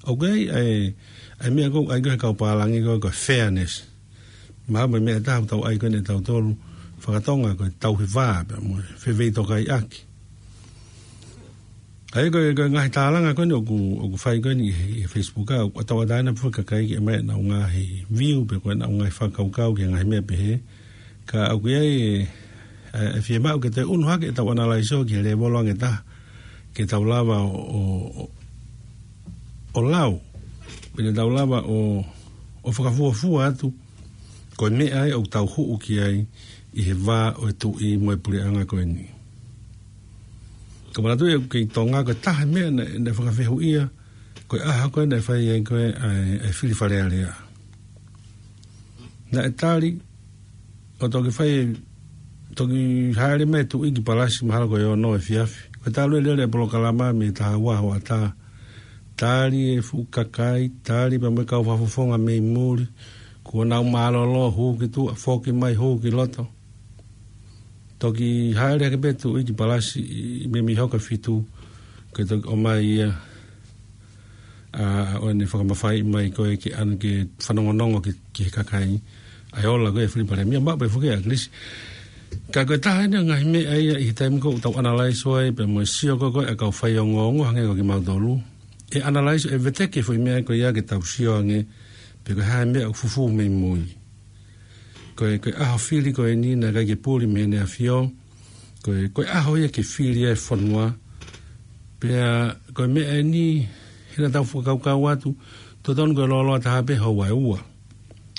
ʻOku ʻi ai ʻa e, ʻa e meʻa ko ē ʻai ko ē he kau pālangi ko ē ko e fairness. Mahalo ko e meʻa ʻe taha ʻoku tau ʻai ko eni ʻe tautolu fakatonga ko e tauhi vā, pea mo e feveitokaiʻaki. ʻA ia ko e, ko e ngaahi tālanga ko eni ʻoku, ʻoku fai ko eni ʻi he, ʻi he Facebook ʻa, ʻoku tauʻatāina pē foki kakai ke ʻomai ʻenau ngaahi view pea ko ʻenau ngaahi fakakaukau ki he ngaahi meʻa pehē. Ka ʻoku ʻi ai ʻa e, ʻa e fiemaʻu ke toe ʻunu hake ʻetau ʻanalaiso ki he lēvolo ange ʻe taha. Ke tau lava ʻo, ʻo, ʻo, ʻo lau. Pea te tau lava ʻo, ʻo fakafuofua atu. Ko e meʻa ia ʻoku tau huʻu ki ai ʻi he vā ʻo e tuʻi mo e puleʻanga ko eni. Ka manatuʻi ʻoku kei Tonga ko e taha e meʻa naʻe, naʻe fakafehuʻia, ko e ʻaho ko ē naʻe fai ai ko ē ʻa e, ʻa e fili Fale Alea. Naʻe tali, ʻo toki fai, toki hāʻele mai e tuʻi ki Palasi mahalo ko e ono efiafi. Ko e talu e lele e polokalama mei he taha ua hoʻatā. Tali e fuʻu kakai, tali pea mo e kau fakafofonga mei muli. Kuo nau mālōlō hū ki tuʻa, foki mai hū ki loto. Toki hāʻele hake pē tuʻi ki Palasi ʻi, mei, mei he hoka fitu, ke toki ʻomai ia, ʻa, ʻo ne fakamafaiʻi mai ko ē ke ʻana ke fanongonongo ki, ki he kakai. ʻA e ola ko ē fili Palēmia, maʻu pē foki ʻa ʻAkilisi. Ka ko e taha eni e ngaahi meʻa ia ʻi he taimi ko ē ʻoku tau ʻanalaiso ai, pea mo e sio ko ē ko ē ʻa e kau faiongoongo hangē ko kimautolu. ʻE ʻanalaiso, ʻe veteki e foʻi meʻa ko ia ke tau sio ange, pe ko e hā e meʻa ʻoku fufū mei mui. Ko e, ko e ʻaho fili ko eni naʻe ʻikai ke puli mei he ʻEne ʻAfio. Ko e, ko e ʻaho ia ke fili ai e fonua. Pea ko e meʻa eni, hena tau fakakaukau atu, totonu ko e lōloa taha pē houa ʻe ua.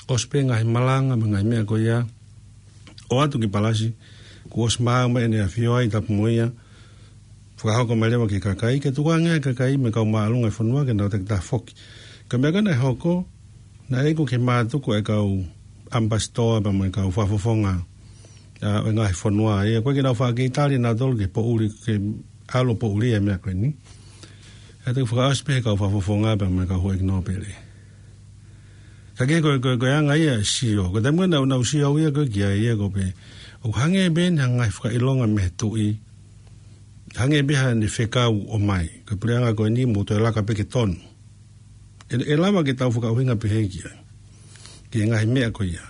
ʻOsi pē ngaahi malanga, mo e ngaahi meʻa ko ia. ʻO atu ki Palasi, kuo ʻosi maau mai ʻEne ʻAfio ai tapu mo ia. Fakahoko mai leva ki he kakai, ke tukuange ai e kakai mo e kau māʻolunga e fonua ke nau takitaha foki. Ko e meʻa ko ē naʻe hoko, naʻe iku ki he mātuku e kau ʻamipasitoa pea mo e kau fakafofonga, ʻa, ʻo e ngaahi fonua. ʻA ia ko ē ke nau faʻa kei tali nautolu ke poʻuli, ke ʻalu ʻo poʻuli e meʻa ko eni. ʻA ia toki fakaʻosi pē he kau fakafofonga pea mo e kau houʻeiki nōpele. Ka ke ko e, ko e, ko e anga ia e sio. Ko e taimi ko ē naʻa, naʻa ku sio au ia ko ē ki ai ia ko ē pē. ʻOku hangē pē eni ha ngaahi fakaʻilonga mei he tuʻi. Hangē pē haʻane fekau ʻomai. Ko e puleʻanga ko eni mou toe laka pē ke tonu. ʻE, ʻe lava ke tau fakaʻuhinga pehē ki ai. Ki he ngaahi meʻa ko ia.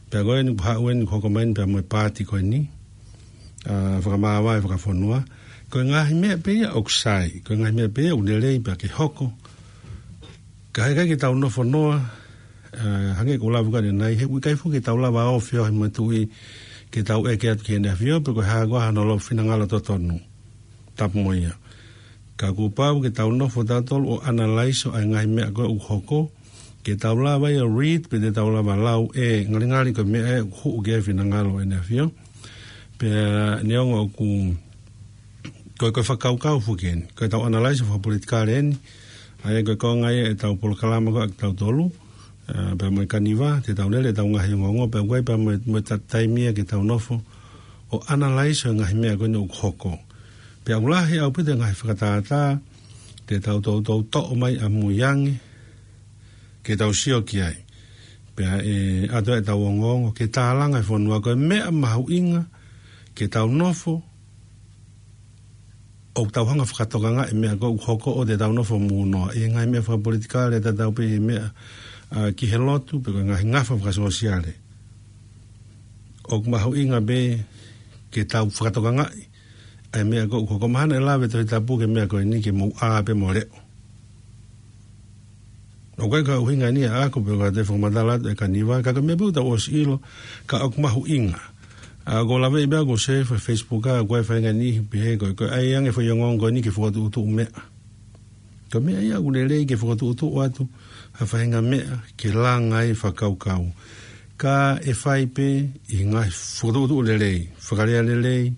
Pea ko eni kuo haʻu eni kuo hoko mai eni pea mo e paati ko eni. ʻA, fakamāvae fakafonua. Ko e ngaahi meʻa pē ia ʻoku sai. Ko e ngaahi meʻa pē ia ʻoku lelei pea ke hoko. Ka heʻikai ke tau nofo noa, ʻa, hangē ko e lave ko ē ʻanenai, he ʻoku ʻikai foki ke tau lava ʻo feohi mo e tuʻi ke tau ʻeke atu ki heʻene ʻafio, pe ko e hā koā hano lau finangalo totonu. Tapu mo ia. Ka kuo pau ke tau nofo tautolu ʻo ʻanalaiso ʻa e ngaahi meʻa ko ē ʻoku hoko, ke tau lava ia read, pe te tau lava lau ʻe ngalingali ko e meʻa ē ʻoku huʻu ki ai e finangalo ʻo ʻEne ʻAfio. Pea neongo ʻoku, ko e, ko e fakakaukau foki eni, ko ʻetau analyse fakapolitikale eni, ʻa ia ko e konga ia ʻetau polokalama ko ē ʻa kitautolu, ā, pea mo e Kaniva, te tau lele ʻetau ngaahi ongoongo, pea ʻoku ʻi ai pea mo e, mo e ta-, taimi ia ke tau nofo ʻo analyse ʻo e ngaahi meʻa ko eni ʻoku hoko. Pea ʻoku lahi ʻaupito e ngaahi fakatātā te tau toutou toʻo mai ʻamui ange ke tau sio ki ai. Pea ʻe ʻatu ʻetau ongoongo ke tālanga e fonua, ko e meʻa mahuʻinga ke tau nofo ʻo tau hanga fakatokangaʻi e meʻa ko ē ʻoku hoko, ʻo te tau nofo mūnoa ʻi he ngaahi meʻa fakapolitikale, tatau pē he meʻa, ā, ki he lotu, pe ko e ngaahi ngafa fakasōsiale. ʻOku mahuʻinga pē ke tau fakatokangaʻi ʻa e meʻa ko ē ʻoku hoko. Mahalo ʻe lave Tohi Tapu ki he meʻa ko eni ke mou ʻā pē mo leʻo. ʻOku ʻikai ko e ʻuhinga eni ʻaʻaku pe ko e fakamatala atu ʻa e Kaniva, ka ko e meʻa pē ʻoku tau ʻosi ʻilo, ka ʻoku mahuʻinga. Ā, ʻoku ou laveʻi pē ʻoku ou share he Facebook, ʻa, ʻoku ʻi ai e faʻahinga niʻihi ʻoku pehē ko e, ko e ʻai ange e foʻi ongoongo ko eni ke fokotuʻutuʻu meʻa. Ko e meʻa ia ʻoku lelei ke fokotuʻutuʻu atu ha faʻahinga meʻa ke langa ai e fakakaukau. Ka ʻe fai pē ʻi he ngaahi fokotuʻutuʻu lelei, fakalea lelei,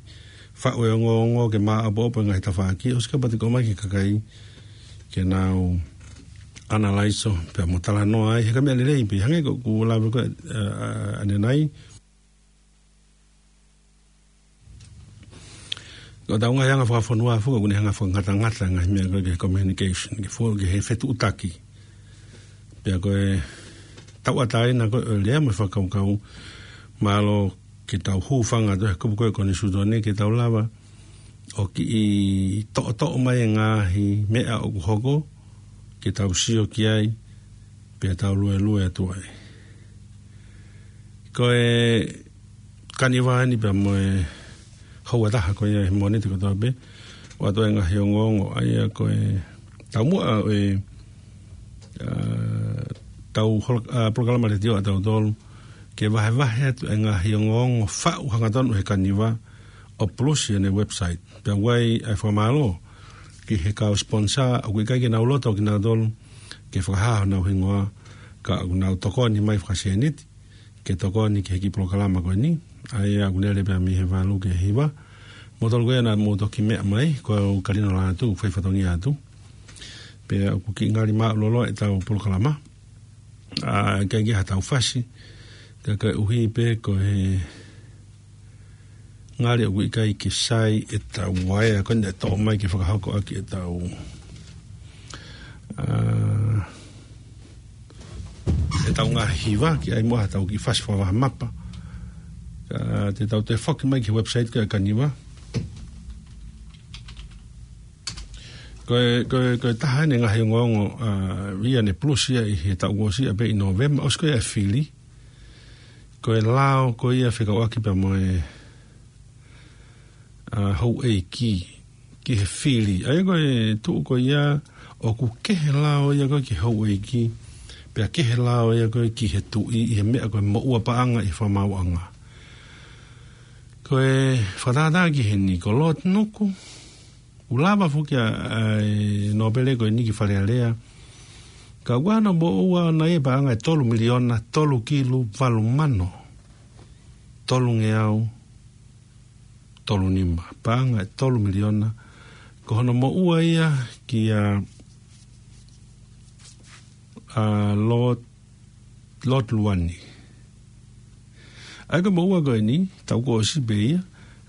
faʻu e ongoongo ke maʻopoʻopo e ngaahi tafaʻaki, ʻosi kapau te ke ʻomai ki he kakai ke nau analyse pea mo talanoa ai, he ko e meʻa lelei pē, hangē ko ʻeku lave ko ē, ā, ā, ʻanenai. Ko ʻetau ngaahi anga fakafonua foki, ʻoku ne hanga fakangatangata e ngaahi meʻa ko ē ki he communication, ki he fo-, ki he fetuʻutaki. Pea ko e tauʻatāina ko ē ʻo e lea mo e fakakaukau, mālō ke tau hūfanga atu he kupu ko ē ʻo e Konisitūtone ke tau lava ʻo kiʻi toʻotoʻo mai e ngaahi meʻa ʻoku hoko, ke tau sio ki ai, pea tau luelue atu ai. Ko e Kaniva eni pea mo e houa ʻe taha ko ia he Mōnite kotoa pē, ʻoatu e ngaahi ongoongo, ʻa ia ko e taumuʻa ʻo e, ā, tau hol-, ā, polokalama letiō ʻatautolu, ke vahevahe atu e ngaahi ongoongo faʻu hangatonu he Kaniva, ʻo pulusi ʻene website. Pea ʻoku ʻi ai e fakamālō ki he kau sponsor, ʻoku ʻikai ke nau loto kinautolu ke fakahā honau hingoa, ka ʻoku nau tokoni mai fakasēniti ke tokoni ki he kiʻi polokalama ko eni. ʻA ia ʻoku lele pē mei he valu ki he hiva. Moutolu ko ia naʻa mou toki meʻa mai, ko au Kalino Lātū, fai fatongia atu. Pea ʻoku kiʻi ngali māʻulolo ʻetau polokalama. Ā, ʻikai ke ʻi ai haʻatau fasi, ka koeʻuhi pē ko e ngali ʻoku ʻikai ke sai ʻetau uaea ko eni ʻe toʻo mai ke fakahoko ʻaki ʻetau, ā, ʻetau ngaahi hiva, ke ʻai muʻa haʻatau kiʻi fasi fakavahamapa. Ā, te tau toe foki mai ki he website ko ē ʻa e Kaniva. Ko e, ko e, ko e taha eni e ngaahi ongoongo, ā, ia ne pulusi ia ʻi he taʻu kuo ʻosi ia pē ʻi Nōvema, ʻosi ko ia e fili. Ko e lao ko ia fekauʻaki pea mo e, ā, houʻeiki ki he fili. ʻA ia ko e tuʻu ko ia ʻoku kehe lao ia ko ē ki he houʻeiki, pea kehe lao ia ko ē ki he tuʻi ʻi he meʻa ko e moʻua paʻanga ʻi he fakamaauʻanga. Ko e fakatātā ki heni, ko Lord Nuku, ʻoku lava foki ʻa, ʻa e nōpele ko eni ki Fale Alea. Ka ʻoku ʻi ai hono moʻua ʻona ia paʻanga ʻe tolu miliona, tolu kilu, valu mano, tolungeau, tolu nima. Paʻanga ʻe tolu miliona. Ko hono moʻua ia kia, ā, Lord Lord Luani. ʻA ia ko e moʻua ko eni, taʻu kuo ʻosi pē ia,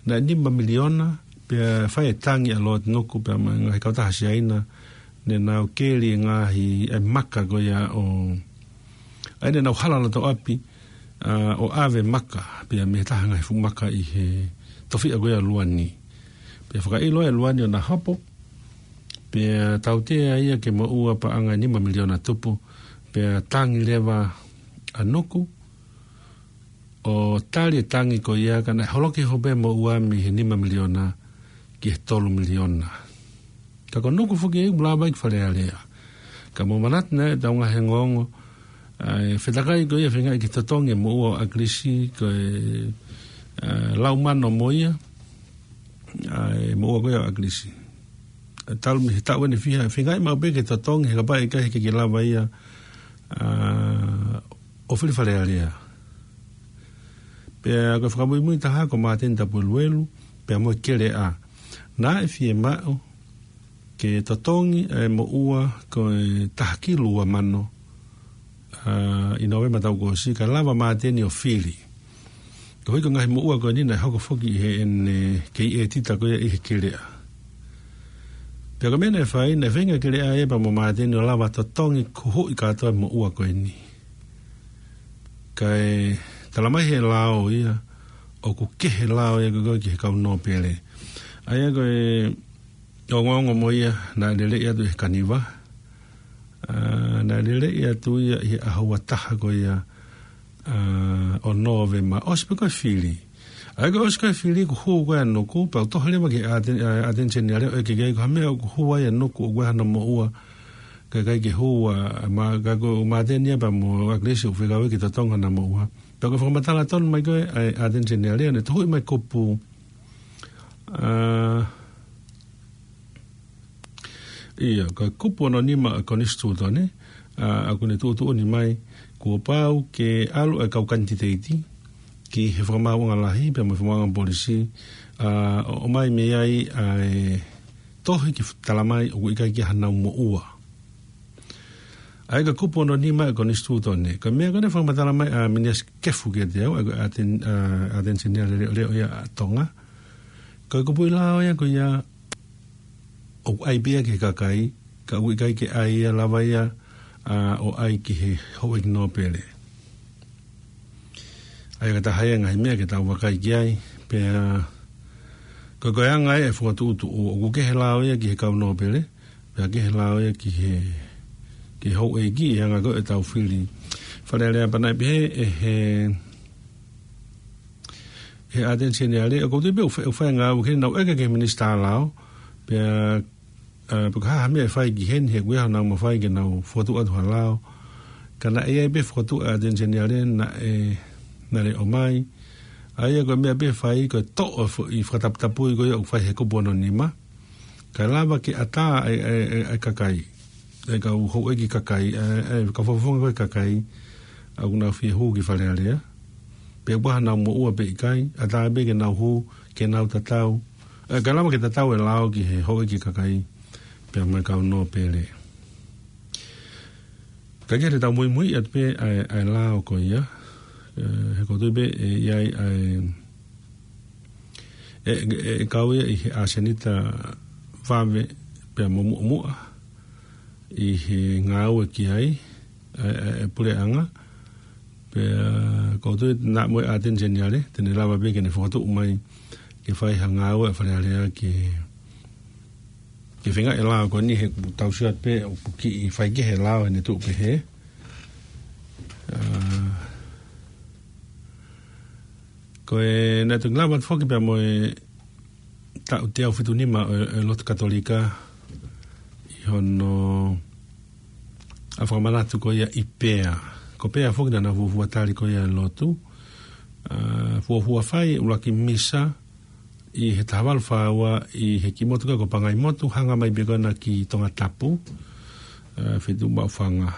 naʻe nima miliona, pea fai e tangi ʻa Lord Nuku, pea mo e ngaahi kautaha Siaina, ne nau keli e ngaahi, e maka ko ia ʻo, ʻa ia ne nau hala loto ʻapi, ā, ʻo ʻave maka, pea mei he taha ngaahi fuʻu maka ʻi he tofiʻa ko ia Luani. Pea fakaʻilo e Luani ʻo na hopo, pea tautea ia ke moʻua paʻanga ʻe nima miliona tupu, pea tangi leva ʻa Nuku, ʻo tali e tangi ko ia ka naʻe holoki hope moʻua mei he nima miliona ki he tolu miliona. Ka ko Nuku foki ʻoku lava ia ki Fale Alea. Ka mou manatu naʻe ʻetau ngaahi ongoongo, ʻa e fetakai ko ia feingaʻi ke totongi e moʻua ʻo ʻAkilisi, ko e, ā, lau mano mo ia, ʻa e moʻua ko ia ʻo ʻAkilisi. Talu mei he taʻu ʻeni ʻe fiha, feingaʻi maʻu pē ke totongi he kapau ʻe ʻikai ke ke lava ia, ā, ʻo fili Fale Alea. Pea ko e fakamuimui taha ko Māteni Tapueluelu, pea mo e Keleʻa. Naʻe fiemaʻu ke totongi e moʻua ko e taha kilu ua mano, ʻa, ʻi Nōvema taʻu kuo ʻosi, kae lava Māteni ʻo fili. Koeʻuhi ko e ngaahi moʻua ko eni naʻe hoko foki ʻi heʻene kei ʻētita ko ia ʻi he Keleʻa. Pea ko e meʻa naʻe fai, naʻe feinga Keleʻa ia pea mo Māteni ʻo lava totongi kuhuʻi kātoa e moʻua ko eni. Kae talamai he lao ia, ʻoku kehe lao ia ko ē ki he kau nōpele. ʻA ia ko e ongoongo mo ia naʻe lele atu ʻi he Kaniva. ʻA, naʻe lele atu ia ʻi he ʻaho ua taha ko ia, ʻa, ʻo Nōvema. ʻOsi pē ko e fili. ʻA ia ko e ʻosi ko e fili kuo hū ko ē ʻa Nuku, pea u tohi leva ki he ʻAten-, ʻa, ʻAteni Seniale ʻo ʻeke ki ai ko e hā e meʻa ʻoku hū ai ʻa Nuku ʻoku ʻi ai hano moʻua. Kae ʻikai ke hū ʻa, ma, ka ko Māteni ia pea mo ʻAkilisi ʻoku fekau ke totongi hano moʻua. Pea ko e fakamatala tonu mai ko ē ʻa e ʻAteni Seniale, naʻe tohuʻi mai kupu. ʻA, ia, ko e kupu ono nima ʻo e Konisitūtone, ʻa, ʻoku ne tuʻutuʻuni mai, kuo pau ke ʻalu e kau kanititeiti ki he Fakamaauʻanga Lahi, pea mo e Fakamaauʻanga Polisi, ʻa, ʻo, ʻomai mei ai ʻa e tohi ke talamai ʻoku ʻikai ke ʻi ai hanau moʻua. ʻA ia ko e kupu ono nima ʻo e Konisitūtone. Ko e meʻa ko ē naʻe fakamatala mai ʻa Miniasi Kefu kiate au, ʻa ia ko e ʻAten-, ʻa, ʻAteni Seniale leʻoleʻo ia ʻa Tonga. Ko e kupuʻi lao ia ko ia ʻoku ʻai pē ia ki he kakai, ka ʻoku ʻikai ke ʻai ia, lava ia, ʻa, ʻo ʻai ki he houʻeiki nōpele. ʻA ia ko e taha ia e ngaahi meʻa ke tau vakai ki ai, pea ko e, ko e anga ia e fokotuʻutuʻu, ʻoku kehe lao ia ki he kau nōpele, pea kehe lao ia ki he, ki he houʻeiki, ʻi he anga ko ē ʻetau fili Fale Alea. Pea naʻe pehē ʻe he, he ʻAteni Seniale, ʻoku ou tui pē ʻoku fai, ʻoku fai e ngāue ki heni, naʻa ku ʻeke ki he Minisitā Lao, pea, ʻa, pe ko e hā ha meʻa ʻe fai ki heni, he ʻoku ʻi ai hanau mafai ke nau fokotuʻu atu ha lao. Ka naʻe ʻi ai pē fokotuʻu ʻa e ʻAteni Seniale naʻe, naʻe ʻomai. ʻA ia ko e meʻa pē ʻe fai, ko e toʻo e foʻi fakataputapui ko ia ʻoku fai he kupu ono nima. Kae lava ke ʻatā ʻa e, ʻa e, ʻa e, ʻa e kakai. ʻA e kau houʻeiki kakai, ʻa e, ʻa e kau fakafofonga ko ē kakai, ʻa ʻoku nau fie hū ki Fale Alea. Pe ʻoku ʻi ai hanau moʻua pe ʻikai, ʻatā pē ke nau hū, ke nau tatau. ʻE, kae lava ke tatau e lao ki he houʻeiki kakai, pea mo e kau nōpele. Ka ke te tau muimui atu pē ʻa e, ʻa e lao ko ia, ʻe, he ʻoku ou tui pē ʻe ʻi ai ʻa e, ʻe, ʻe, ʻe kau ia ʻi he ʻasenita vave pea mo muʻomuʻa ʻi he ngāue ki ai ʻa e, ʻa e, ʻa e puleʻanga. Pea ʻoku ou tui naʻa mo e ʻAteni Seniale, te ne lava pē ke ne fokotuʻu mai ke fai ha ngāue ʻa Fale Alea ke, ke feinga e lao ko eni he ʻoku tau sio atu pē ʻoku kiʻi faikehe e lao ʻi heʻene tuʻu pehē. ʻA, ko e naʻe toki lava atu foki pea mo e taʻu teau fitu nima ʻo e, ʻo e lotu Katolika ʻi hono ʻa fakamanatu ko ia ʻi Pea. Ko Pea foki naʻa nau fuofua tali ko ia e lotu. ʻA, fuofua fai e ʻuluaki misa ʻi he taha valu fā ua ʻi he kiʻi motu ko ē ko Pangaimotu, hanga mai pē ko ena ki Tongatapu, ʻa, Fetuʻu Maʻufanga.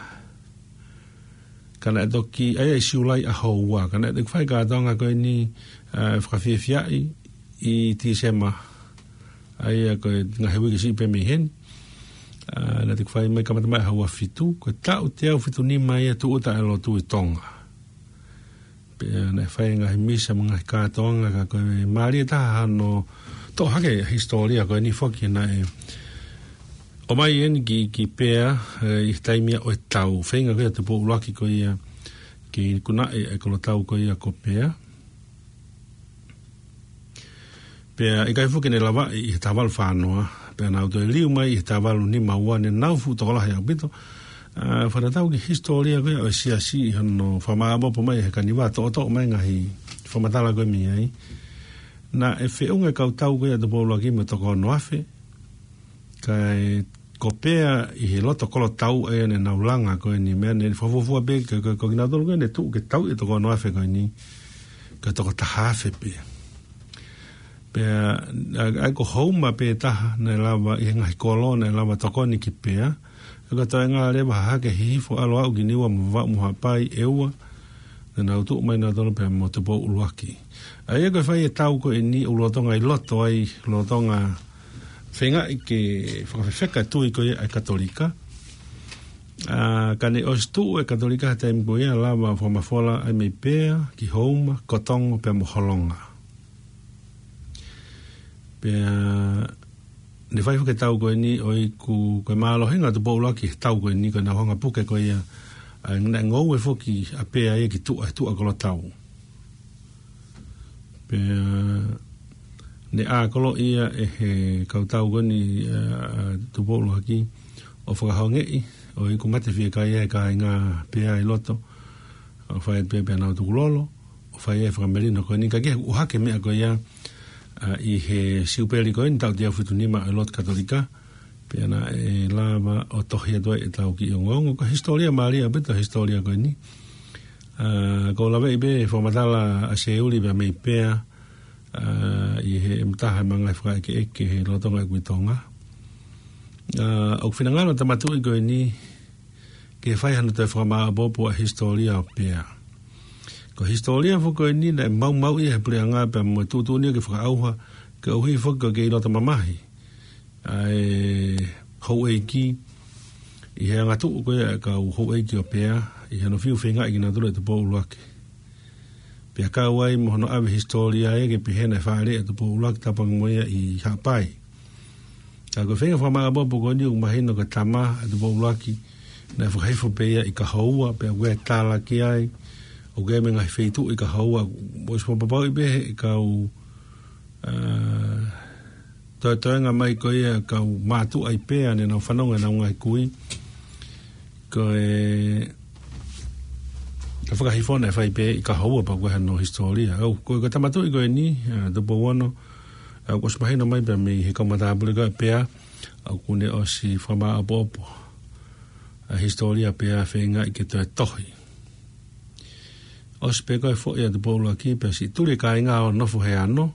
Ka naʻe toki, ʻa ia ʻi Siulai ʻaho ua, ka naʻe toki fai kātoanga ko eni, ʻa, fakafiefiaʻi ʻi Tīsema. ʻA ia ko e ngaahi uike siʻi pē mei heni. ʻA, naʻe toki fai mai kamata mai ʻaho ua fitu, ko e taʻu teau fitu nima ia tūʻuta e lotu ʻi Tonga. Pea naʻe fai e ngaahi misa mo e ngaahi kātoanga, ka ko e mālie taha hano toʻo hake e hisitōlia ko eni foki naʻe ʻomai eni ki, ki Pea, ʻe, ʻi he taimi ia ʻo e tau. Feinga ko ia Tupou ʻUluaki ko ia ke ikunaʻi e kolo tau ko ia ko Pea. Pea ʻikai foki ke ne lavaʻi ʻi he taha valu fā noa. Pea nau toe liu mai ʻi he taha valu nima ua, ne nau fuʻu tokolahi ʻaupito. ʻA, fakatatau ki he hisitōlia ko ia ʻo e siasi ʻi hono fakamāʻopoʻopo mai ʻe he Kaniva, toʻotoʻo mai e ngaahi fakamatala ko ē mei ai. Naʻe feʻunga e kau tau ko ia Tupou ʻUluaki mo e toko ono afe. Kae ko Pea ʻi he loto kolo tau ʻa ia ne nau langa ko eni, meʻa ne fakafuofua pē ke, ke, ko kinautolu ko ē ne tuʻu ke tauʻi e toko ono afe ko eni, ko e toko taha afe pē. Pea, ʻa, ʻa ia ko Houma pē taha naʻe lava ʻi he ngaahi kolo naʻe lava tokoni ki Pea. ʻA ia ko e toenga leva ha hake hihifo ʻalu ʻo aʻu ki Niua mo Vavaʻu mo Haʻapai ʻe ua. Naʻa nau tuʻu mai nautolu pea mo Tupou ʻUluaki. ʻA ia ko e fai e tau ko eni ʻoku lolotonga ʻi loto ai, lolotonga feingaʻi ke fakafefeka e tui ko ia ʻa e Katolika. ʻA, ka ne ʻosi tuʻu e Katolika he taimi ko ia, lava fakamafola ai mei Pea, ki Houma, Kotongo, pea mo Holonga. Pea ne fai foki e tau ko eni ʻo ʻiku ko e mālohinga ʻo Tupou ʻUluaki he tau ko eni ko e nau hanga puke ko ia, ʻa, naʻe ngoue foki ʻa Pea ia ki tuʻa, he tuʻa kolo tau. Pea ne ʻā kolo ia ʻe he kau tau ko eni, ʻa, ʻa Tupou ʻUluaki ʻo fakahongeʻi, ʻo ʻiku mate fiekaia e kāinga Pea ʻi loto, ʻo fai pē pea nau tukulolo, ʻo fai e fakamelino ko eni ka ke ʻohake meʻa ko ia, ʻa, ʻi he siupeli ko eni taʻu teau fitu nima ʻo e lotu Katolika, pea naʻe lava ʻo tohi atu ai e tau ki ongoongo. Ko e hisitōlia mālie ʻaupito e hisitōlia ko eni. ʻA, ko e laveʻi pē fakamatala ʻa Seuli pea mei Pea, ʻa, ʻi he ʻe mataha e manga fakaʻekeʻeke he lolotonga ʻeku ʻi Tonga. ʻA, ʻoku finangalo e tama tuʻi ko eni, ke fai hano toe fakamāʻopoʻopo ʻa e hisitōlia ʻo Pea. Ko e hisitōlia foki ko eni naʻe maumauʻi ia he puleʻanga pea mo e tuʻutuʻuni ke fakaʻauha, koeʻuhi foki ko e kei loto mamahi ʻa e houʻeiki, ʻi he angatuʻu ko ia e kau houʻeiki ʻo Pea, ʻi hano fiu feingaʻi kinautolu ʻe Tupou ʻUluaki. Pea kau ai mo hono ʻave hisitōlia ia ke pehē naʻe fāʻeleʻi ʻa Tupou ʻUluaki tapu ange mo ia ʻi Haʻapai. Ka ko e feinga fakamāʻopoʻopo ko eni ʻoku mahino ko e tama ʻa Tupou ʻUluaki naʻe fakahifo pē ia ʻi Kahoua, pea ʻoku ʻi ai e tala ki ai ʻoku ʻi ai mo e ngaahi feituʻu ʻi Kahoua, ʻosi fakapapauʻi pē ʻe he kau, ʻa, toetoenga mai ko ia e kau mātuʻa ʻi Pea ne nau fanongo ʻenau ngaahi kui. Ko e, ko e fakahifo naʻe fai pē ʻi Kahoua pea ko e hano hisitōlia. ʻOku, ko e, ko e tama tuʻi ko eni, ʻa, Tupou Ono, ʻa, ʻoku ʻosi mahino mai pea mei he kau matāpule ko ia ʻa Pea, ʻa, ʻoku ne ʻosi fakamāʻopoʻopo ʻa e hisitōlia ʻo Pea feingaʻi ke toe tohi. ʻOsi pē ko e foʻi ʻa Tupou ʻUluaki pea siʻi tuli e kāinga ʻo nofo he ano,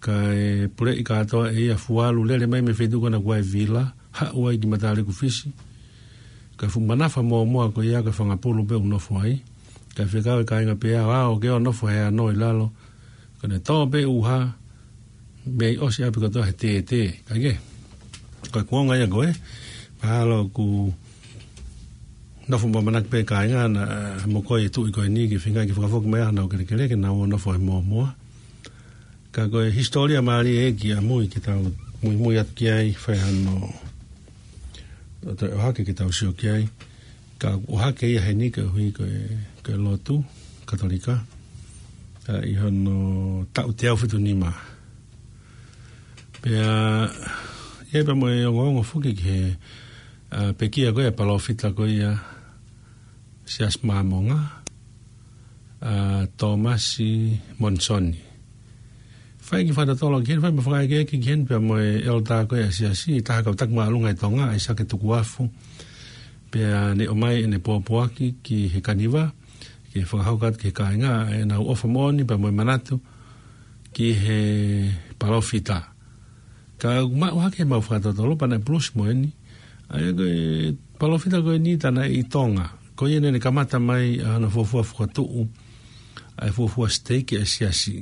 kae puleʻi kātoa ʻe ia Fualu, lele mai mei he feituʻu ko ena ko e vila, haʻu ai ki Mataleku Fisi. Ko e fuʻu manafa mōmoa ko ia ko e fanga pulu pē ʻoku nofo ai. Kae fekau e kāinga Pea ʻo aʻu ke ō ʻo nofo he ano ʻi lalo. Ka ne tō pē ʻuha, mei ʻosi ʻapi kotoa he tētē. Kae kehe, ko e kuonga ia ko ē, mahalo ʻoku nofo ʻamanaki pē kāinga naʻa mo ko e tuʻi ko eni ke feinga ke fakafoki mai ʻa honau kelekele ke nau ō ʻo nofo he mōmoa. Ka ko e hisitōlia mālie ʻeiki ʻamui ke tau muimui atu ki ai, fai hano toe ʻohake ke tau sio ki ai. Ka ʻohake ia heni koeʻuhi ko e, ko e lotu Katolika, ʻa, ʻi hono taʻu teau fitu nima. Pea ʻi ai pea mo e ongoongo foki ki he, ʻa, pekia ko ia e palōfita ko ia Siasi Māmonga, ʻa, Tōmasi Monisoni. Fai e kiʻi fakatotolo ki heni, fai mo e fakaʻekeʻeke ki heni pea mo e ʻeleta ko ia ʻa e Siasi, ʻi he taha e kau taki māʻolunga ʻi Tonga, ʻa ʻAisake Tukuafu. Pea ne ʻomai ʻene pōpoaki ki he kaniva, ke fakahoko atu ki he kāinga ʻenau ʻofa moʻoni pea mo e manatu ki he palōfita. Ka ʻoku maʻu hake ʻemau fakatotolo pea naʻe pulusi mo eni. ʻA ia ko e palōfita ko eni tā naʻe ʻi Tonga. Ko ia naʻa ne kamata mai ʻa hono fuofua fokotuʻu ʻa e fuofua siteiki ʻa e Siasi.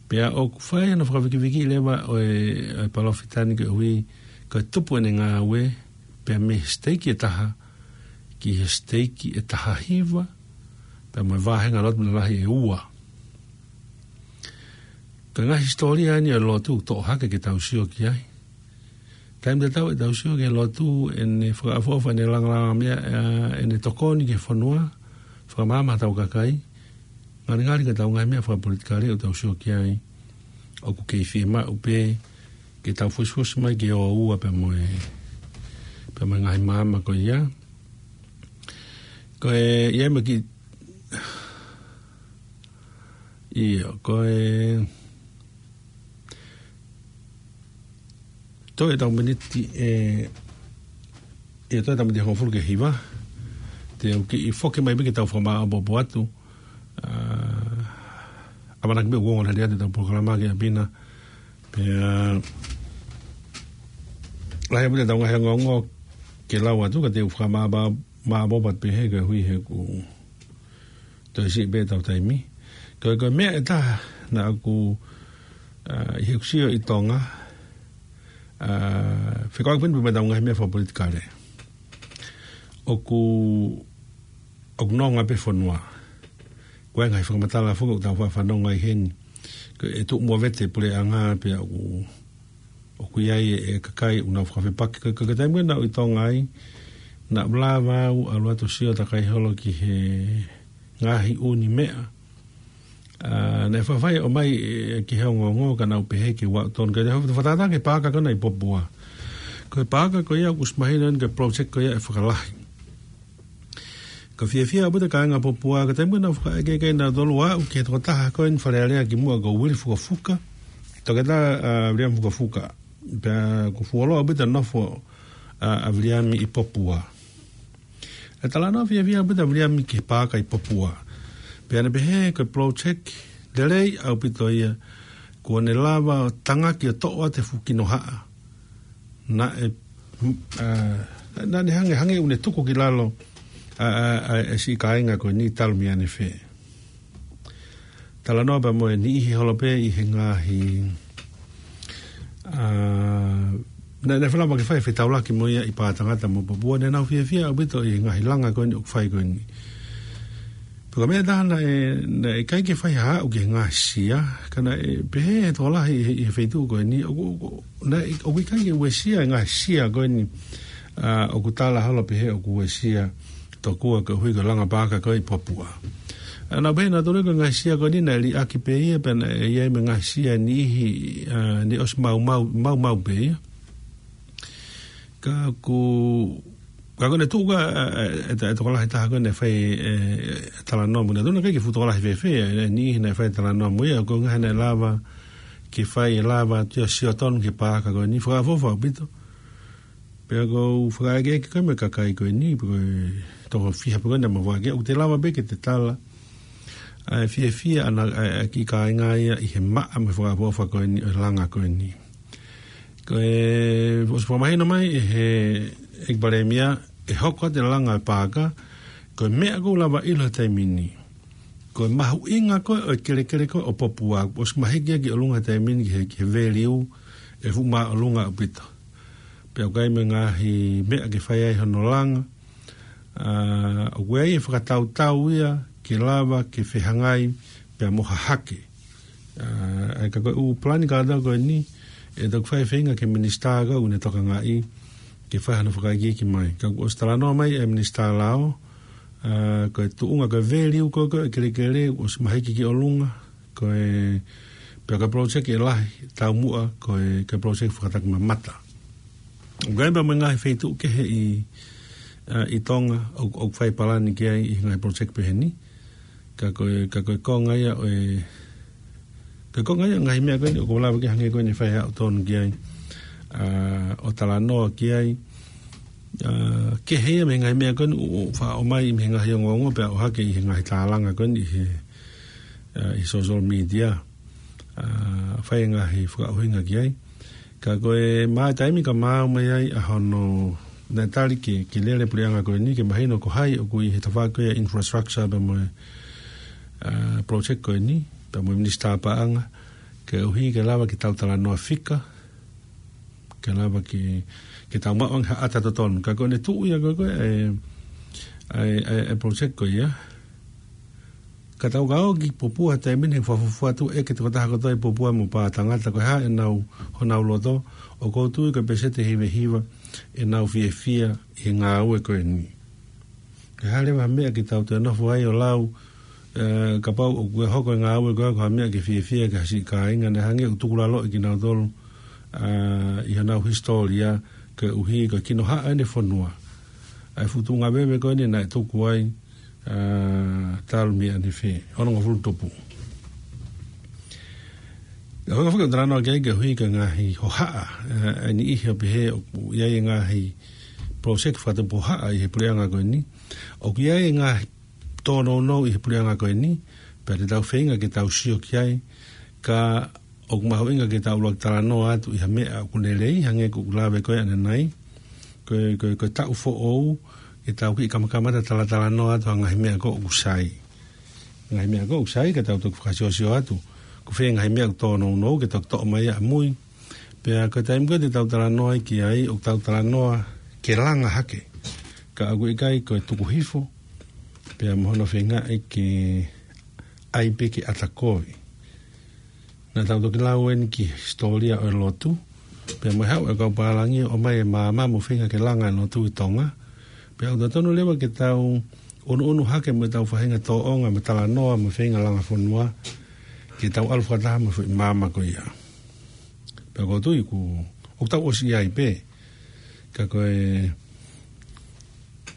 Pea ʻoku fai hono fakavikiviki leva ʻo e, ʻo e palōfita ni koeʻuhi ko e tupu ʻene ngāue pea mei he siteiki ʻe taha ki he siteiki ʻe taha hiva, pea mo e vāhenga lotu lalahi ʻe ua. Ko e ngaahi hisitōlia eni ʻo e lotu ʻoku toʻo hake ke tau sio ki ai. Taimi tatau ʻetau sio ki he lotu, ʻene fakaʻofoʻofa, ʻene langalangameʻa, ʻa, ʻene tokoni ki he fonua, fakamaama hotau kakai, ngalingali ki heʻetau ngaahi meʻa fakapolitikale ʻoku tau sio ki ai, ʻoku kei fiemaʻu pē ke tau fusifusi mai ke ō ua pea mo e, pea mo e ngaahi maama ko ia. Ko e, ʻi ai mo e kiʻi, ʻio, ko e, toe ʻetau miniti ʻe, ʻio, toe ʻetau miniti ʻe hongofulu ki he hiva. Te u kiʻi foki mai pē ke tau fakamāʻopoʻopo atu. ʻA, ʻamanaki pē ʻoku ongo lelei atu ʻetau polokalama ki ʻapi na. Pea, lahi ʻaupito ʻetau ngaahi ongoongo ke lau atu, ka te u fakamāʻopoʻopo atu pē he koeʻuhi he ʻoku Toe siʻi pē ʻetau taimi. Ko e, ko e meʻa ʻe taha naʻa ku, ʻa, ʻi heʻeku sio ʻi Tonga, ʻa, fekauʻaki pē mo ʻetau ngaahi meʻa fakapolitikale. ʻOku, ʻoku nonga pē fonua. Ko e ngaahi fakamatala foki ʻoku tau faʻa fanongo ai heni. Ko e tuʻu movete puleʻanga pea ʻoku, ʻoku ʻi ai e, e kakai ʻoku nau fakafepaki. Ko e, ko e taimi naʻa ku ʻi Tonga ai, naʻa ku lava au ʻalu atu ʻo sio takai holo ki he ngaahi ʻū meʻa. ʻA, naʻe faʻa fai ʻo ʻomai, e, ki he ongoongo ka naʻa ku pehē ke u aʻu tonu. Ka te hau fakatātā ki he paaka ko ena ʻi Popua. Ko e paaka ko ia ʻoku ʻosi mahino eni ko e project ko ia ʻe fakalahi. Ko e fiefia ʻaupito kāinga Popua, ka taimi naʻa ku fakaʻekeʻeke naʻa tolu aʻu ki he tokotaha ko eni Fale Alea kimuʻa ko Uili Fukafuka. Toketā, ʻa, Viliami Fukafuka. Pea ʻoku fuoloa ʻaupito nofo, ʻa, ʻa Viliami ʻi Popua. ʻE talanoa fiefia ʻaupito ʻa Viliami ki he paaka ʻi Popua. Pea ne pehē ko e project lelei ʻaupito ia, kuo ne lava ʻo tangaki ʻo toʻo atu e fuʻu kinohaʻa. Naʻe, ʻa, naʻa ne hangē, hangē ʻoku ne tuku ki lalo, ʻa, ʻa, ʻa, e siʻi kāinga ko eni talu mei ʻanefē. Talanoa pea mo e niʻihi holo pē ʻi he ngaahi, ʻa, naʻe, naʻe fai lava ke fai fetaulaki mo ia ʻi Pātangata mo Popua, naʻa nau fiefia ʻaupito ʻi he ngaahi langa ko eni ʻoku fai ko eni. Pea ko e meʻa ʻe taha naʻe, naʻe ʻikai ke fai ha aʻu ki he ngaahi sia, ka naʻe pehē ʻe he tokolahi ʻi he, ʻi he feituʻu ko eni, ʻoku, ʻoku, naʻe, ʻoku ʻikai ke uesia e ngaahi sia ko eni, ʻa, ʻoku tala holo pehē ʻoku uesia tokua koeʻuhi ko e langa paaka ko ē ʻi Popua. ʻA, naʻa pehē naʻa tolu ko e ngaahi sia ko eni naʻe liʻaki pē ia pea naʻe ʻi ai mo e ngaahi sia niʻihi, ʻa, naʻe ʻosi maumau, maumau pē ia. Ka ʻoku, ka ʻoku ne tuʻu ka, ʻa, ʻa, e, e tokolahi taha ko ē naʻe fai, e, e, talanoa mo ia. Naʻe tuʻu naʻe ʻikai ke fuʻu tokolahi fēfē, e, e niʻihi naʻe fai talanoa mo ia, ko e ngaahi naʻe lava ke fai e lava atu ia ʻo sio tonu ki he paaka ko eni, fakaʻofoʻofa ʻaupito. Pea ʻoku ou fakaʻekeʻeke ko ē mo e kakai ko eni, pe ko e toko fiha pe ko ē naʻa mau vakai, ʻoku te lava pē ke te tala ʻa e fiefia ʻa e, ʻa e, ʻa e kiʻi kāinga ia ʻi he maʻa mo e fakaʻofoʻofa ko eni, ʻo e langa ko eni. Ko e, ʻosi fakamahino mai ʻe he ʻEiki Palēmia, ʻe hoko atu e langa e paaka, ko e meʻa ʻoku ou lava ʻilo he taimi ni, ko e mahuʻinga ko ē ʻo e kelekele ko ē ʻo Popua, ʻosi mahiki ia ki ʻolunga he taimi ni ki he, ki he value, ʻe fuʻu māʻolunga ʻaupito. Pea ʻoku ʻi ai mo e ngaahi meʻa ke fai ai hono langa. ʻA, ʻoku ʻi ai e fakatautau ia ke lava ke fehangahangai pea mo Hahake. ʻA, ʻa ia ka ko e ʻū palani kātoa ko eni, ʻe toki fai e feinga ki he minisitā ka ʻoku ne tokangaʻi ke fai hano fakaikiiki mai. Ka kuo ʻosi talanoa mai e Minisitā Lao, ʻa, ko e tuʻunga ko e value ko ē ʻo e kelekele, ʻosi mahiki ki ʻolunga, ko e, pea ko e project ʻe lahi, taumuʻa, ko e, ko e project fakatakimamata. ʻOku ʻi ai pē mo e ngaahi feituʻu kehe ʻi, ʻa, ʻi Tonga, ʻoku, ʻoku fai palani ki ai ʻi he ngaahi project pehē ni. Ka ko e, ka ko e konga ia ʻo e, ka ko e konga ia ngaahi meʻa ko eni, ʻoku lava ke hangē ko eni fai aʻu tonu ki ai, ʻa, ʻo talanoa ki ai, ʻa, kehe ia mei he ngaahi meʻa ko eni, ʻo, ʻo faʻa ʻomai mei he ngaahi ongoongo, pea ʻohake ʻi he ngaahi tālanga ko eni, ʻi he, ʻa, ʻi he social media. ʻA, fai e ngaahi fakaʻuhinga ki ai. Ka ko e maʻu taimi ka maʻu mai ai ʻa hono naʻe tali ke, ke lele puleʻanga ko eni, ke mahino ko hai ʻoku ʻi he tafaʻaki ko ia infrastructure pea mo e, ʻa, project ko eni, pea mo e minisitā paʻanga, koeʻuhi ke lava ke tau talanoa fika, ke lava ke, ke tau maʻu ange ha ʻata totonu. Ka ko ʻene tuʻu ia ko e, ko e, ʻa e, ʻa e, ʻa e project ko ia. Ka tau ka ō ki Popua he taimi ni he fakafuofua atu ʻe ʻeke tokotaha kotoa ʻi Popua mo Pātangata ko e hā ʻenau, honau loto, ʻoku ou tui ko e peseti ʻe hivahiva ʻenau fiefia ʻi he ngāue ko eni. Ke hale ha meʻa ke tau toe nofo ai ʻo lau, ʻe, kapau ʻoku hoko e ngāue ko ē ko ha meʻa ke fiefia ki ha siʻi kāinga, naʻe hangē ʻoku tukulaloʻi kinautolu, ʻa, ʻi honau hisitōlia koeʻuhi ko e kinohaʻa ʻene fonua. ʻA e fuʻu tuʻunga veve ko eni naʻe tuku ai, ʻa, talu mei ʻanefē, onongofulu tupu. ʻOku ou fakatalanoa ki ai koeʻuhi ko e ngaahi hohaʻa, ʻa, ʻa e niʻihi ʻo pehē ʻoku ʻi ai e ngaahi project fakatupu hohaʻa ʻi he puleʻanga ko eni. ʻOku ʻi ai e ngaahi tōnounou ʻi he puleʻanga ko eni, pea te tau feinga ke tau sio ki ai, ka ʻoku mahuʻinga ke tau ʻuluaki talanoa atu ʻi ha meʻa ʻoku lelei, hangē ko ʻeku lave ko ē ʻanenai, ko e, ko e, ko e taʻu foʻou, ke tau kiʻi kamakamata talatalanoa atu ha ngaahi meʻa ko ē ʻoku sai. Ngaahi meʻa ko ē ʻoku sai ka tau toki fakasiosio atu. Ko e fē ngaahi meʻa ʻoku tōnounou ke toki toʻo mai ʻamui. Pea ko e taimi ko ē te tau talanoa ai ki ai, ʻoku tau talanoa ke langa hake. Ka ʻoku ʻikai ko e tuku hifo. Pea mo hono feingaʻi ke ʻai pē ke ʻata kovi. Naʻa tau toki lau eni ki he hisitōlia ʻo e lotu. Pea mo e haʻu e kau pālangi ʻo ʻomai e maama mo feinga ke langa e lotu ʻi Tonga. Pea ʻoku totonu leva ke tau ʻunuʻunu hake mo ʻetau faʻahinga tōʻonga mo e talanoa mo e feinga langa fonua. Ke tau ʻalu fakataha mo e foʻi maama ko ia. Pea ʻoku ou tui ʻoku, ʻoku tau ʻosi ʻi ai pē. Ka ko e,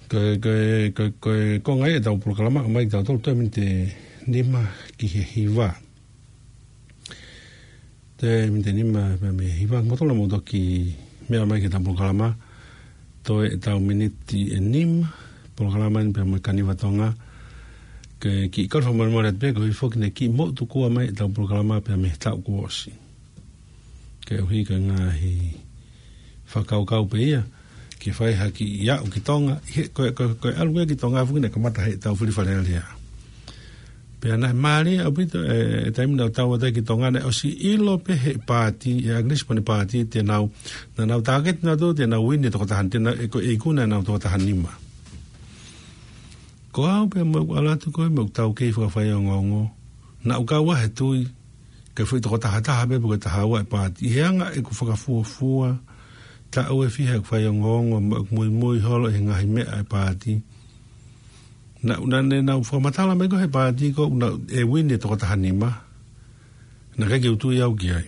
ko e, ko e, ko e, ko e, ko e ngaahi ʻetau polokalama ʻomai tautolu toe miniti nima ki he hiva. Toe miniti nima pea mei he hiva. Mou tala mo toki meʻa mai ki heʻetau polokalama. Toe ʻetau miniti ʻe nima. Polokalama ni pea mo e Kaniva Tonga. Ke kiʻi kau fakamolemole atu pē, ko e foki ne kiʻi moʻutukua mai ʻetau polokalama pea mei he taʻu kuo ʻosi. Koeʻuhi ko e ngaahi fakakaukau pē ia, ke fai ha kiʻi aʻu ki Tonga, ʻi he, ko e, ko e, ko e ʻalu ko ē ki Tonga foki naʻe kamata heʻetau fili Fale Alea. Pea naʻe mālie ʻaupito, e, e taimi naʻa tau ʻalu atu ai ki Tonga naʻe ʻosi ʻilo pē ʻe he paati, ʻe ʻAkilisi mo ʻene paati, te nau, naʻa nau tāketi nautolu, te nau uini e tokotaha, te nau, e ko e ikuna ʻenau tokotaha nima. Ko au pea mo ʻeku ʻalu atu ko ē mo ʻeku taukei fakafaiongoongo. Naʻa ku kau ai he tui, ko e foʻi tokotaha taha pē pe ko e taha ua e paati. ʻI he anga ʻeku fakafuofua, taʻu ʻe fiha ʻeku faiongoongo, mo ʻeku muimui holo ʻi he ngaahi meʻa e paati. Naʻa, naʻa ne nau fakamatala mai ko ē he paati ko ē naʻe uini e tokotaha nima. Naʻe ʻikai ke u tui au ki ai.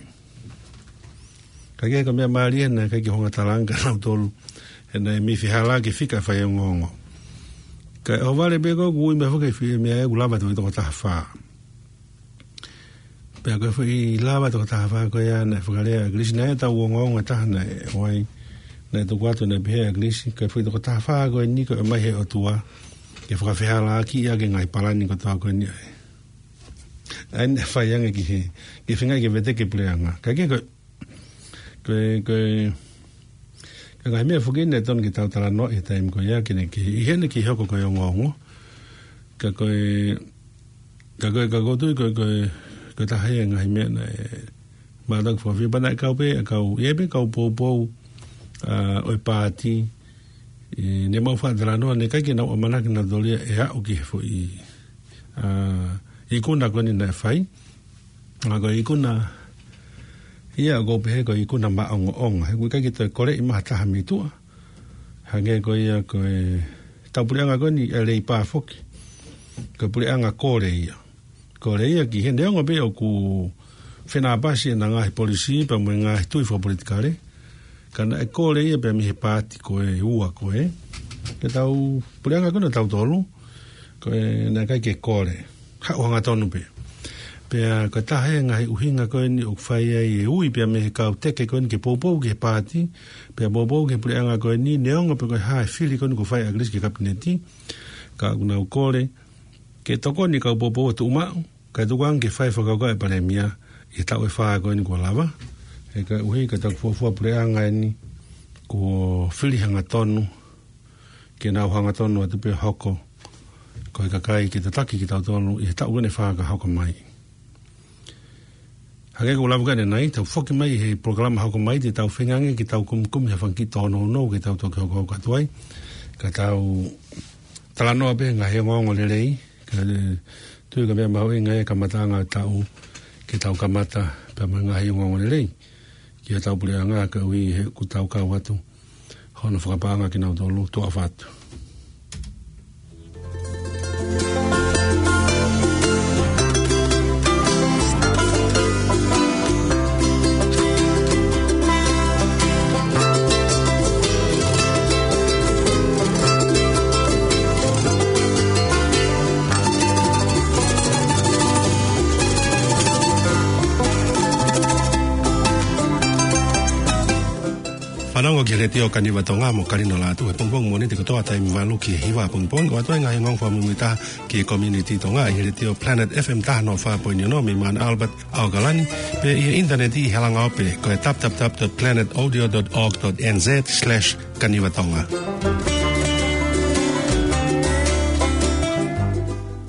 Ka ko e meʻa mālie naʻe ʻikai ke u hanga ʻo talaange kia nautolu. He naʻe mei fehālaaki e fika faiongoongo. Ka ʻohovale pē ko ē kuo ui mai foki e fika meʻa ʻe ua lava tokotaha fā. Pea ko e foʻi lava tokotaha fā ko ia naʻe fakalea ʻe ʻAkilisi naʻe ʻi ai ʻetau ongoongo ʻe taha naʻe ʻoai. Naʻe tuku atu naʻe pehē ʻe ʻAkilisi, ko e foʻi tokotaha fā ko eni ko e ʻomai ʻe he ʻOtua. Ke fakafehālaaki ʻaki e ngaahi palani kotoa ko eni ʻa e. ʻA ia naʻe fai ange ki he, ke feinga ke veteki e puleʻanga. Ka ko e, ko e, ko e, ko e ngaahi meʻa foki naʻe tonu ke tau talanoa he taimi ko ia ke ne, ke, ʻi heʻene kei hoko ko e ongoongo. Ka ko e, ka ko e, ka ko e tui ko e, ko e, ko e taha ia e ngaahi meʻa naʻe, mātaki fakafiu pea naʻe kau pē, ʻa e kau, ʻi ai pē kau poupou, ʻa, ʻo e paati, ʻi, ne mau faʻa talanoa, naʻe ʻikai ke nau ʻamanaki nautolu ia ʻe aʻu ki he foʻi, ʻa, ikuna ko eni naʻe fai. ʻA, ko e ikuna, ia ʻoku ou pehē ko e ikuna maʻongoʻonga. He ʻoku ʻikai ke toe koleʻi mai ha taha mei tuʻa. Hangē ko ia ko e tau puleʻanga ko eni ʻa e Leipa foki. Ko e puleʻanga kole ia. Kole ia ki he neongo pē ʻoku fenāpasi ʻena ngaahi polisī pea mo e ngaahi tui fakapolitikale. Ka naʻe kole ia pea mei he paati ko ē ua ko ē. Ke tau puleʻanga ko ena tautolu. Ko e naʻe ʻikai ke kole. Haʻu hangatonu pē. Pea ko e taha e ngaahi ʻuhinga ko eni ʻoku fai ai e ui pea mei he kau teke ko eni ke poupou ki he paati. Pea poupou ki he puleʻanga ko eni neongo pē ko e hā e fili ko eni kuo fai ʻe ʻAkilisi ki he kapineti. Ka ʻoku nau kole. Ke tokoni e kau poupou ʻo tuʻu maʻu, kae tuku ange ke fai fakakaukau e palēmia, ʻi he taʻu ʻe fā ko eni kuo lava, he koeʻuhi ko e taʻu fuofua puleʻanga eni, kuo fili hangatonu, ke nau hangatonu atu pē hoko, ko e kakai ke tataki kitautolu, ʻi he taʻu ko eni ʻe fā ka hoko mai. Hangē ko e lava ko ē ʻanenai, tau foki mai he polokalama hoko mai, te tau feinga ange ke tau kumikumi ha fanga kiʻi tōnounou ke tau toki hokohoko atu ai. Ka tau talanoa pē ngaahi ongoongo lelei, ka, e, tui ko e meʻa mahuʻinga e kamataʻanga e taʻu, ke tau kamata pē mo e ngaahi ongoongo lelei. Ki hotau puleʻanga koeʻuhi he ʻoku tau kau atu. Hono fakapaʻanga kinautolu, tuʻa ʻofa atu. Fanongo ki he Letiō Kaniva Tonga mo Kalino Lātū he pongipongi Mōnite kotoa taimi valu ki he hiva pongipongi, ʻo ʻoatu ai e ngaahi ongoongo fakamuimuitaha ki he community Tonga ʻi he Letiō Planet F M taha noa fā poini ono mei Mount Albert, ʻAokalani, pea ʻi he ʻinitaneti ʻi he langa ope ko e w w w dot planet audio dot org dot n z slash kaniva tonga.